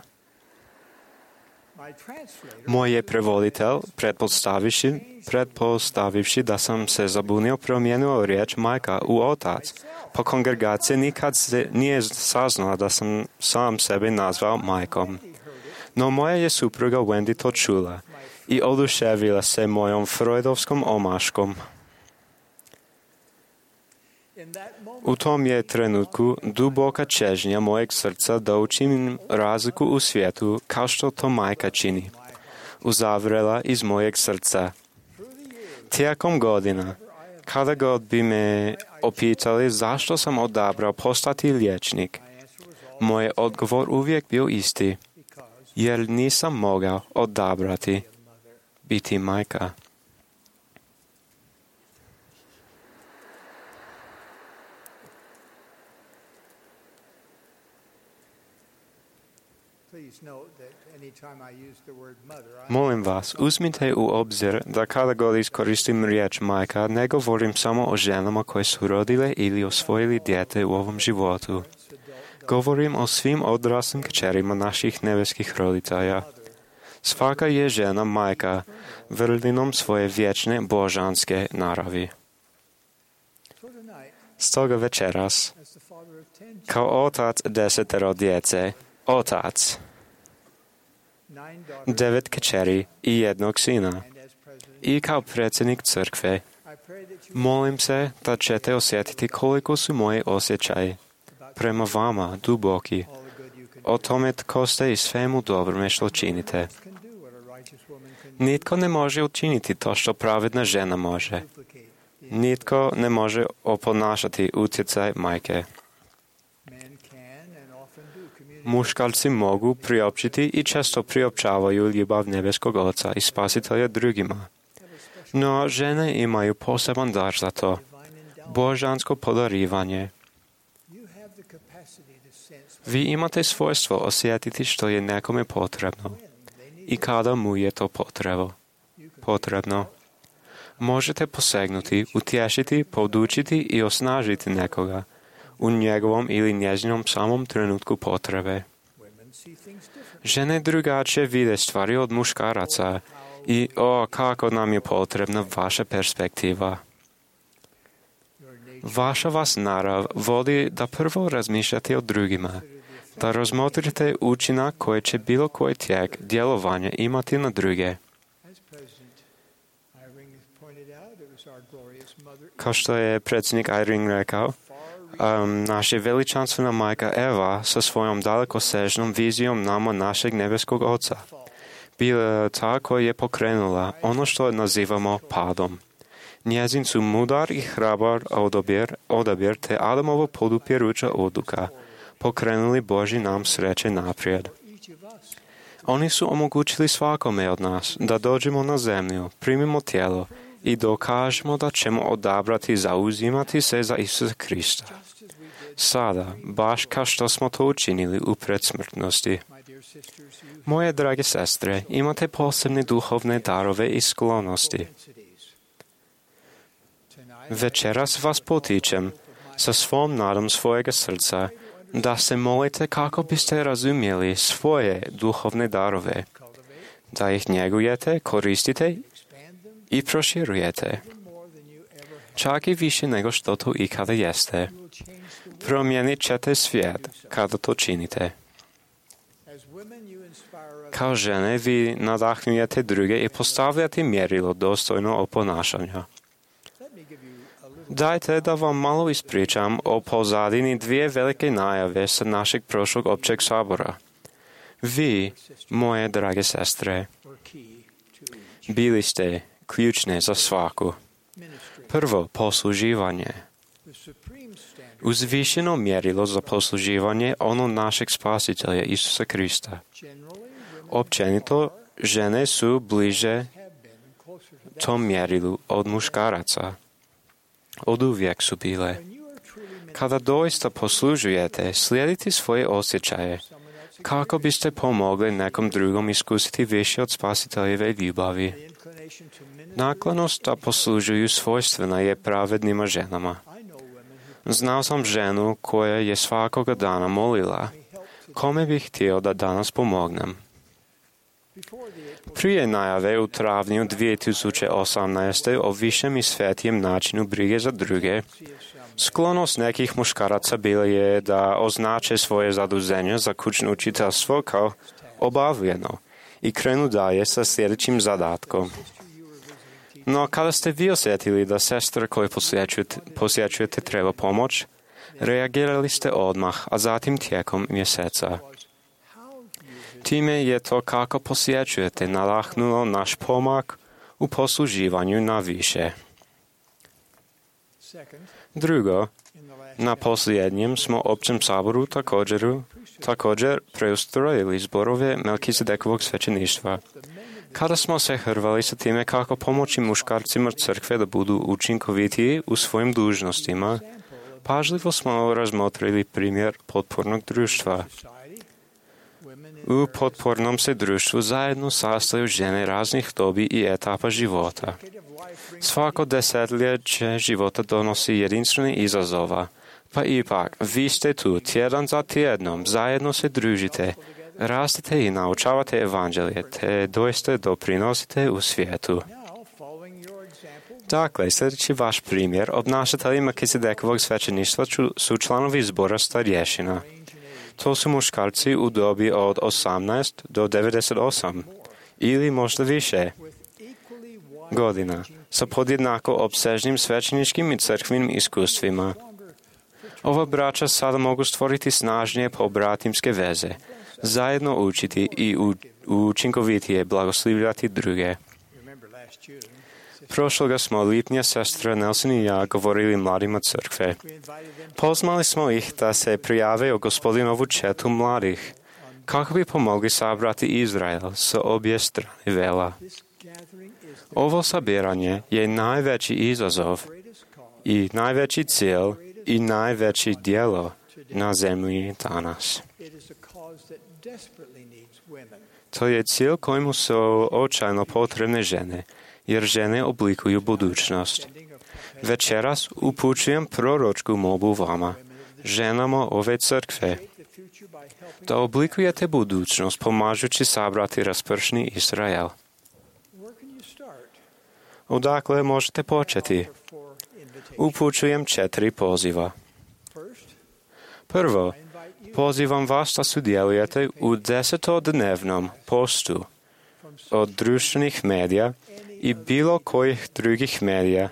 Moj je prevoditelj, pretpostavivši da sam se zabunio, promijenio riječ majka u otac, pa kongregacija nikad nije saznala da sam sam sebe nazvao majkom. No moja je supruga Wendy to čula i oduševila se mojom freudovskom omaškom. U tom je trenutku duboka čežnja mojeg srca da učinim razliku u svijetu kao što to majka čini, uzavrela iz mojeg srca. Tijekom godina, kada god bi me opitali zašto sam odabrao postati liječnik, moj odgovor uvijek bio isti, jer nisam mogao odabrati biti majka. Molim vas, uzmite u obzir da kada god iskoristim riječ majka, ne govorim samo o ženama koje su rodile ili osvojili dijete u ovom životu. Govorim o svim odraslim kćerima naših nebeskih roditelja. Svaka je žena majka, vrlinom svoje vječne božanske naravi. Stoga večeras, kao otac 10 djece, otac 9 kćeri i 1 sina, i kao predsjednik crkve, molim se da ćete osjetiti koliko su moji osjećaji prema vama duboki, o tome tko ste i svemu dobrome što činite. Nitko ne može učiniti to što pravedna žena može. Nitko ne može oponašati utjecaj majke. Muškarci mogu priopćiti i često priopćavaju ljubav nebeskog Oca i Spasitelja drugima. No žene imaju poseban dar za to. Božansko podarivanje. Vi imate svojstvo osjetiti što je nekome potrebno i kada mu je to potrebno. Možete posegnuti, utješiti, podučiti i osnažiti nekoga u njegovom ili njezinom samom trenutku potrebe. Žene drugačije vide stvari od muškaraca i kako nam je potrebna vaša perspektiva. Vaša vas narav vodi da prvo razmišljate o drugima, da razmotrite učinak koji će bilo koji tijek djelovanja imati na druge. Kao što je predsjednik Eyring rekao, naša veličanstvena majka Eva sa svojom dalekosežnom vizijom nama našeg nebeskog Oca bila ta koja je pokrenula ono što nazivamo padom. Njezin su mudar i hrabar odabir te Adamovo podupiruća odluka pokrenuli Božji nam sreće naprijed. Oni su omogućili svakome od nas da dođemo na zemlju, primimo tijelo i dokažemo da ćemo odabrati zauzimati se za Isusa Krista. Sada, baš kao što smo to učinili u predsmrtnosti. Moje drage sestre, imate posebne duhovne darove i sklonosti. Večeras vas potičem sa svom nadom svojega srca da se molite kako biste razumjeli svoje duhovne darove, da ih njegujete, koristite i proširujete. Čak i više nego što to ikada jeste. Promijenit ćete svijet kada to činite. Kao žene vi nadahnujete druge i postavljate mjerilo dostojno oponašanja. Dajte da vam malo ispričam o pozadini dvije velike najave sa našeg prošlog općeg sabora. Vi, moje drage sestre, bili ste ključne za svaku. Prvo, posluživanje. Uzvišeno mjerilo za posluživanje ono našeg Spasitelja Isusa Krista. Općenito, žene su bliže tom mjerilu od muškaraca. Oduvijek su bile. Kada doista poslužujete, slijedite svoje osjećaje, kako biste pomogli nekom drugom iskusiti više od Spasiteljeve ljubavi. Naklonost da poslužuju svojstvena je pravednima ženama. Znao sam ženu koja je svakoga dana molila, kome bih htio da danas pomognem. Prije najave u travnju 2018. o višem i svetijem načinu brige za druge, sklonost nekih muškaraca bila je da označe svoje zaduženje za kućno učiteljstvo kao obavljeno i krenu dalje sa sljedećim zadatkom. No, kada ste vi osjetili da sestra koju posjećujete treba pomoć, reagirali ste odmah, a zatim tijekom mjeseca. Time je to kako posjećujete nadahnulo naš pomak u posluživanju na više. Drugo, na posljednjem smo općem saboru također preustrojili zborove Melkizedekovog svećeništva. Kada smo se hrvali sa time kako pomoći muškarcima crkve da budu učinkovitiji u svojim dužnostima, pažljivo smo razmotrili primjer potpornog društva. U potpornom se društvu zajedno sastaju žene raznih dobi i etapa života. Svako desetljeće života donosi jedinstvene izazova, pa ipak vi ste tu tjedan za tjednom, zajedno se družite, rastete i naučavate evanđelje, te doista doprinosite u svijetu. Dakle, sljedeći vaš primjer, obnašatelji Melkizedekovog svećeništva su članovi zbora starješina. To su muškarci u dobi od 18 do 98 ili možda više godina sa podjednako opsežnim svećeničkim i crkvenim iskustvima. Ova braća sada mogu stvoriti snažnije pobratimske veze, zajedno učiti i učinkovitije blagoslivljati druge. Prošloga smo lipnja sestra Nelson i ja govorili mladima crkve. Pozvali smo ih da se prijave u Gospodinovu četu mladih, kako bi pomogli sabrati Izrael sa obje strane vela. Ovo sabiranje je najveći izazov i najveći cilj i najveći djelo na zemlji danas. To je cilj kojemu su očajno potrebne žene, jer žene oblikuju budućnost. Večeras upućujem proročku molbu vama, ženama ove crkve, da oblikujete budućnost pomažući sabrati raspršni Izrael. Odakle možete početi? Upućujem 4 poziva. Prvo, pozivam vas da sudjelujete u 10-dnevnom postu od društvenih medija i bilo kojih drugih medija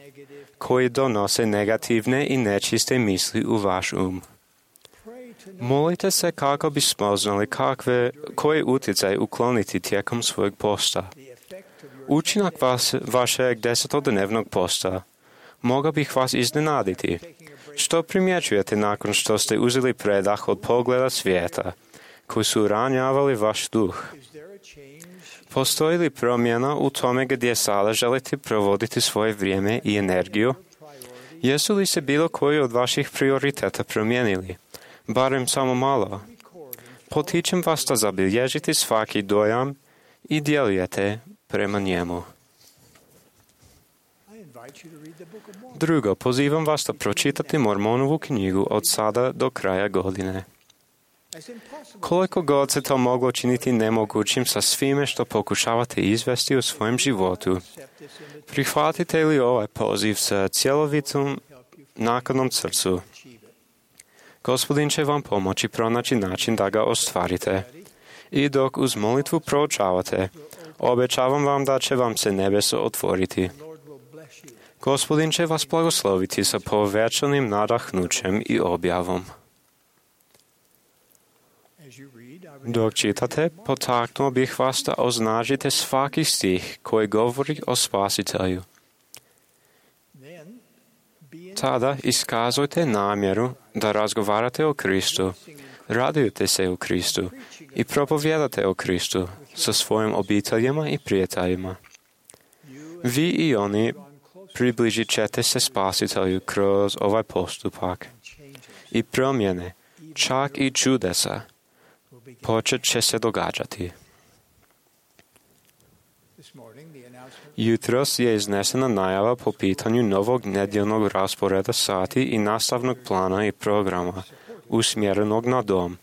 koji donose negativne i nečiste misli u vaš Molite se kako bi spoznali koji utjecaj ukloniti tijekom svojeg posta. Učinak vašeg 10-dnevnog posta mogao bih vas iznenaditi. Što primjećujete nakon što ste uzeli predah od pogleda svijeta, koji su ranjavali vaš duh? Postoji li promjena u tome gdje sada želite provoditi svoje vrijeme i energiju? Jesu li se bilo koji od vaših prioriteta promijenili? Barem samo malo. Potičem vas da zabilježite svaki dojam i djelujete prema njemu. Drugo, pozivam vas da pročitate Mormonovu knjigu od sada do kraja godine. Koliko god se to moglo činiti nemogućim sa svime što pokušavate izvesti u svojem životu, prihvatite li ovaj poziv sa cjelovitom naklonom srcu? Gospodin će vam pomoći pronaći način da ga ostvarite. I dok uz molitvu proučavate, obećavam vam da će vam se nebeso otvoriti. Gospodin će vas blagosloviti sa povećanim nadahnućem i objavom. Dok čitate, potaknuo bih vas da označite svaki stih koji govori o Spasitelju. Tada iskazujte namjeru da razgovarate o Kristu, radujete se u Kristu i propovijedate o Kristu sa svojim obiteljima i prijateljima. Vi i oni približit ćete se Spasitelju kroz ovaj postupak i promjene, čak i čudesa, počet će se događati. Jutros je iznesena najava po pitanju novog nedjeljnog rasporeda sati i nastavnog plana i programa usmjerenog na dom,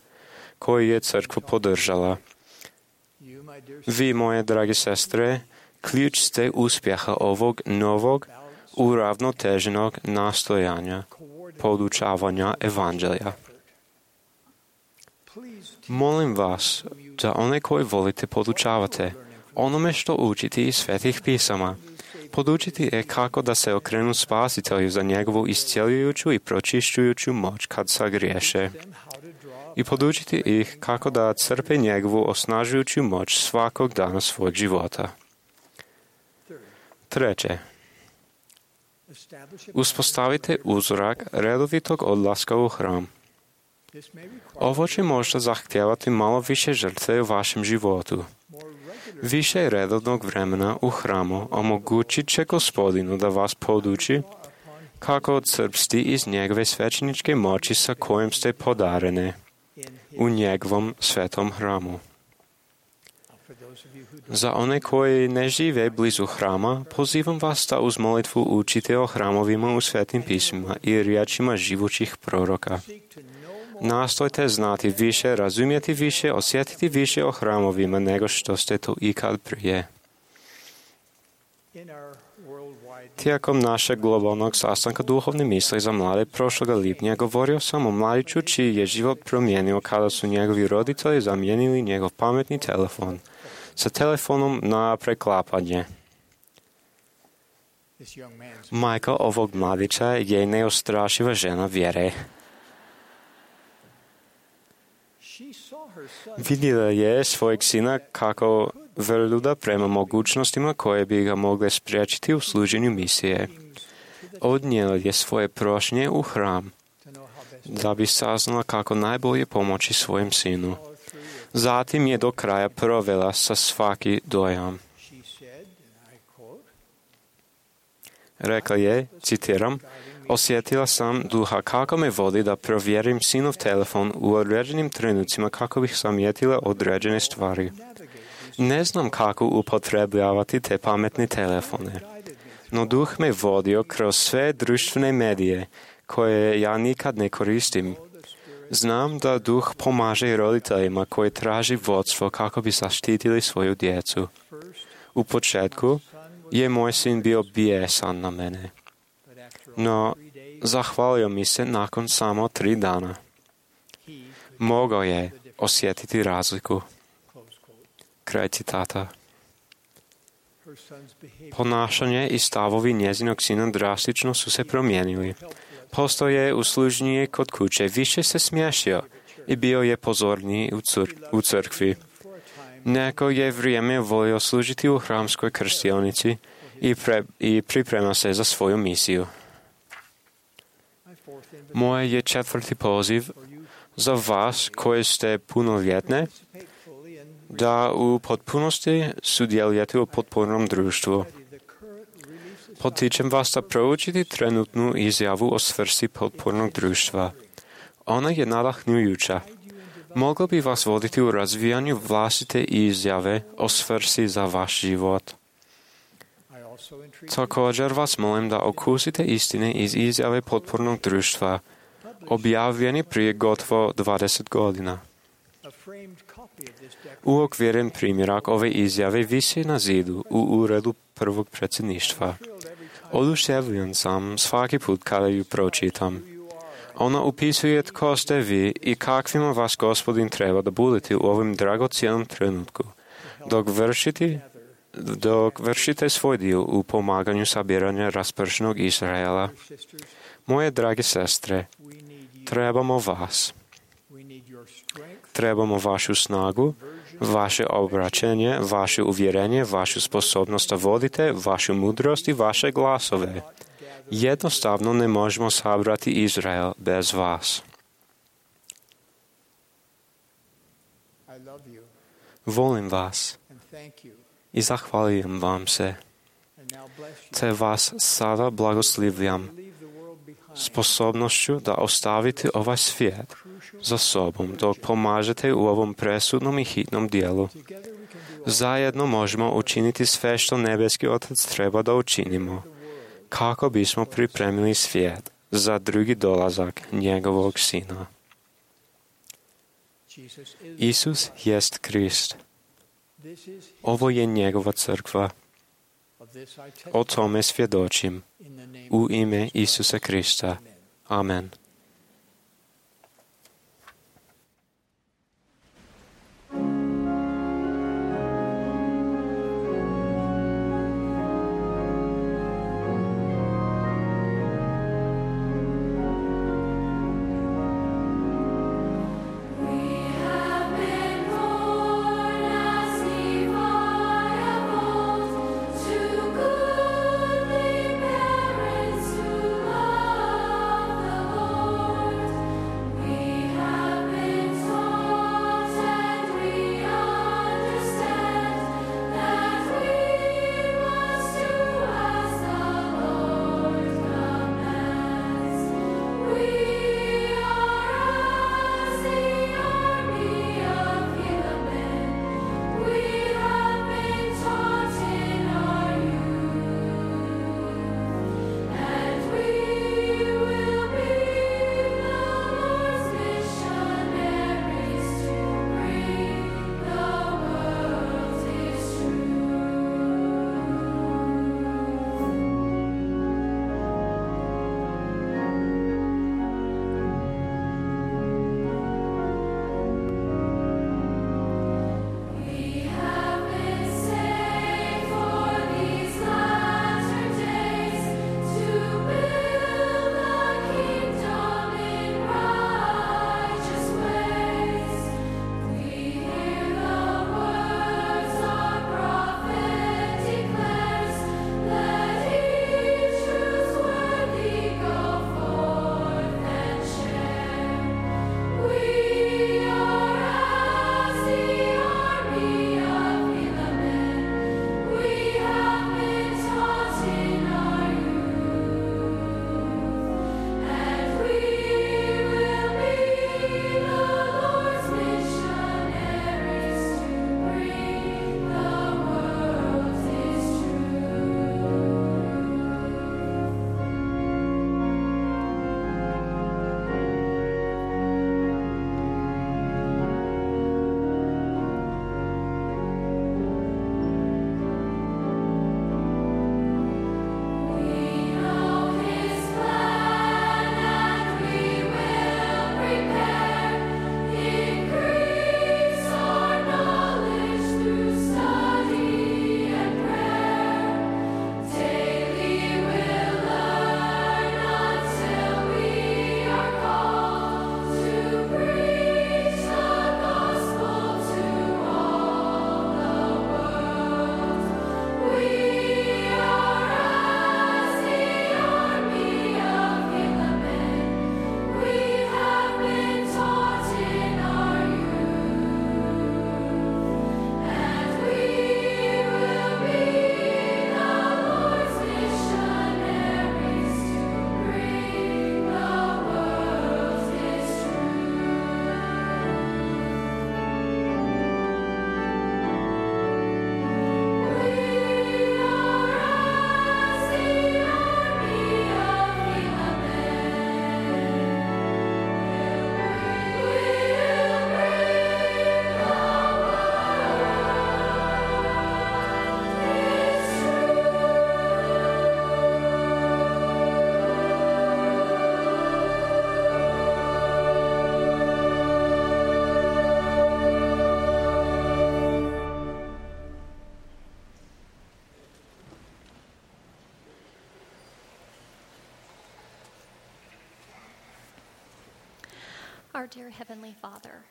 koji je crkva podržala. Vi, moje drage sestre, ključ ste uspjeha ovog novog, uravnoteženog nastojanja, podučavanja evanđelja. Molim vas da one koji volite podučavate onome što učiti iz svetih pisama, podučiti je kako da se okrenu Spasitelju za njegovu iscjeljujuću i pročišćujuću moć kad sagriješe. I podučiti ih kako da crpe njegovu osnažujuću moć svakog dana svog života. Treće, uspostavite uzorak redovitog odlaska u hram. Ovo će možda zahtijevati malo više žrtve u vašem životu. Više redovnog vremena u hramu omogućit će Gospodinu da vas poduči kako odcrpsti iz njegove svećeničke moći sa kojim ste podarene u njegovom svetom hramu. Za one koji ne žive blizu hrama, pozivam vas da uz molitvu učite o hramovima u svetim pismima i riječima živućih proroka. Nastojte znati više, razumjeti više, osjetiti više o hramovima nego što ste to ikad prije. Tijekom našeg globalnog sastanka duhovne misli za mlade prošloga lipnja govorio sam o mladiću čiji je život promijenio kada su njegovi roditelji zamijenili njegov pametni telefon sa telefonom na preklapanje. Majka ovog mladića je neustrašiva žena vjere. Vidjela je svojeg sina kako vrljuda prema mogućnostima koje bi ga mogle spriječiti u služenju misije. Odnijela je svoje prošnje u hram, da bi saznala kako najbolje pomoći svojem sinu. Zatim je do kraja provela sa svaki dojam. Rekla je, citiram, osjetila sam duha kako me vodi da provjerim sinov telefon u određenim trenucima kako bih zamijetila određene stvari. Ne znam kako upotrebljavati te pametne telefone, no duh me vodio kroz sve društvene medije koje ja nikad ne koristim. Znam da duh pomaže roditeljima koji traži vodstvo kako bi zaštitili svoju djecu. U početku je moj sin bio bijesan na mene, no zahvalio mi se nakon samo 3 dana. Mogao je osjetiti razliku. Kraj citata. Ponašanje i stavovi njezinog sina drastično su se promijenili. Postao je uslužniji kod kuće, više se smiješio i bio je pozorniji u crkvi. Neko je vrijeme volio služiti u hramskoj krstionici i priprema se za svoju misiju. Moj je 4. poziv za vas koji ste punoljetne, da u potpunosti sudjelujete u potpornom društvu. Potičem vas da proučite trenutnu izjavu o svrsi potpornog društva. Ona je nadahnjujuća. Mogla bi vas voditi u razvijanju vlastite izjave o svrsi za vaš život. Također vas molim da okusite istine iz izjave potpornog društva, objavljeni prije gotovo 20 godina. Uokviren primjerak ove izjave visi na zidu u uredu prvog predsjedništva. Oduševljen sam svaki put kada ju pročitam. Ona upisuje tko ste vi i kakvima vas Gospodin treba da budete u ovom dragocjenom trenutku, dok vršite svoj dio u pomaganju sabiranja raspršenog Izraela. Moje drage sestre, trebamo vas. Trebamo vašu snagu, vaše obraćanje, vaše uvjerenje, vašu sposobnost da vodite, vašu mudrost i vaše glasove. Jednostavno ne možemo sabrati Izrael bez vas. Volim vas i zahvaljujem vam se, te vas sada blagoslivljam sposobnošću da ostavite ovaj svijet za sobom dok pomažete u ovom presudnom i hitnom dijelu. Zajedno možemo učiniti sve što nebeski Otac treba da učinimo, kako bismo pripremili svijet za drugi dolazak njegovog Sina. Isus jest Krist. Ovo je njegova crkva. O tome svjedočim. U ime Isusa Krista. Amen. Love the Lord.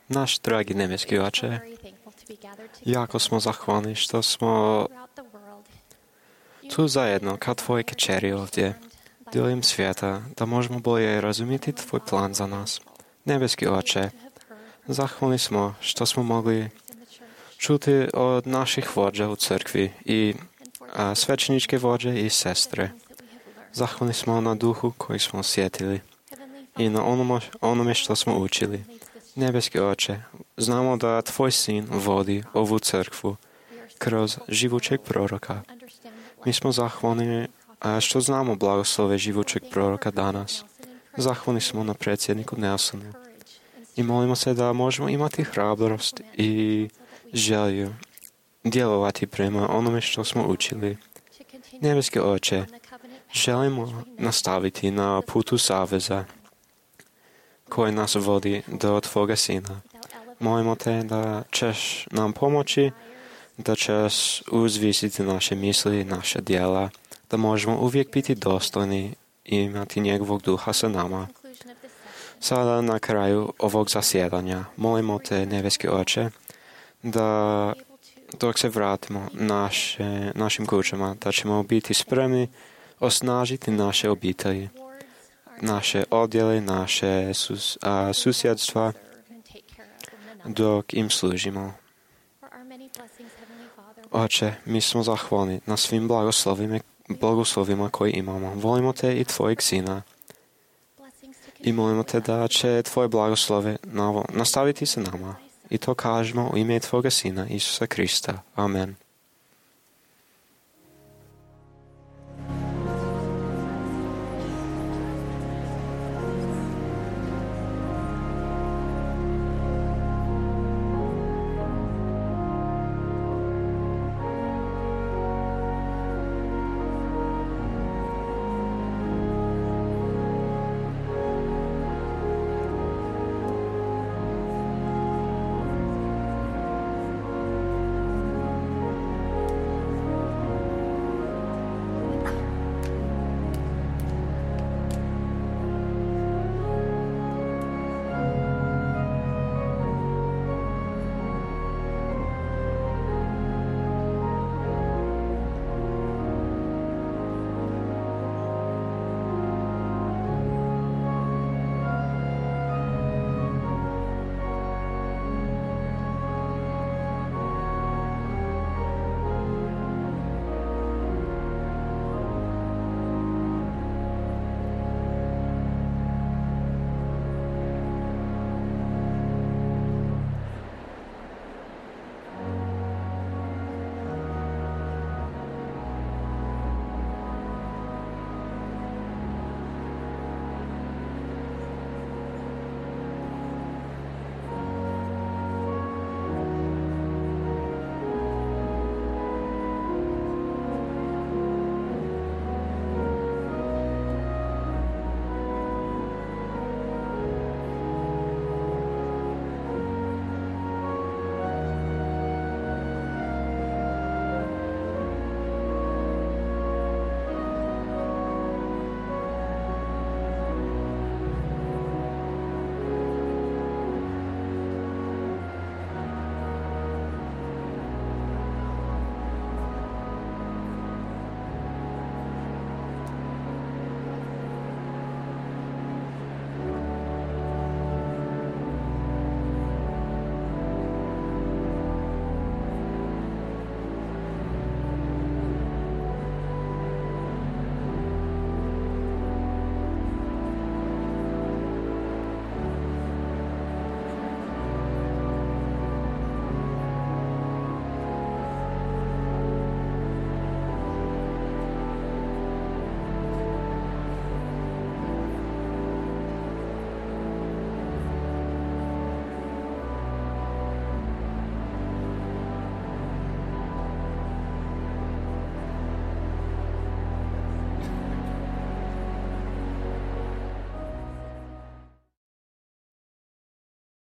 Náš dragi nebeski Oče, jako smo zahvalni što smo tu zajedno kao Tvoje kćeri ovdje, diljem svijeta, da možemo bolje razumjeti Tvoj plan za nas. Nebeski Oče, zahvalni smo što smo mogli čuti od naših vođa u crkvi i svećeničke vođe i sestre. Zahvalni smo na duhu koji smo osjetili i na onome što smo učili. Nebeski Oče, znamo da Tvoj sin vodi ovu crkvu kroz živućeg proroka. Mi smo zahvalni što znamo blagoslove živućeg proroka danas. Zahvalni smo na predsjedniku Nelsonu i molimo se da možemo imati hrabrost i želju djelovati prema onome što smo učili. Nebeski Oče, želimo nastaviti na putu saveza koji nas vodi do Tvoga Sina. Molimo Te da ćeš nam pomoći, da ćeš uzvisiti naše misli i naše djela, da možemo uvijek biti dostojni i imati njegovog duha sa nama. Sada na kraju ovog zasjedanja molimo Te, Nebeski Oče, da dok se vratimo našim kućama, da ćemo biti spremni osnažiti naše obitelji, naše odjele, naše susjedstva, dok im služimo. Oče, mi smo zahvalni na svim blagoslovima koji imamo. Volimo Te i Tvojeg Sina. I molimo Te da će Tvoje blagoslove nastaviti se nama. I to kažemo u ime Tvoga Sina, Isusa Krista. Amen.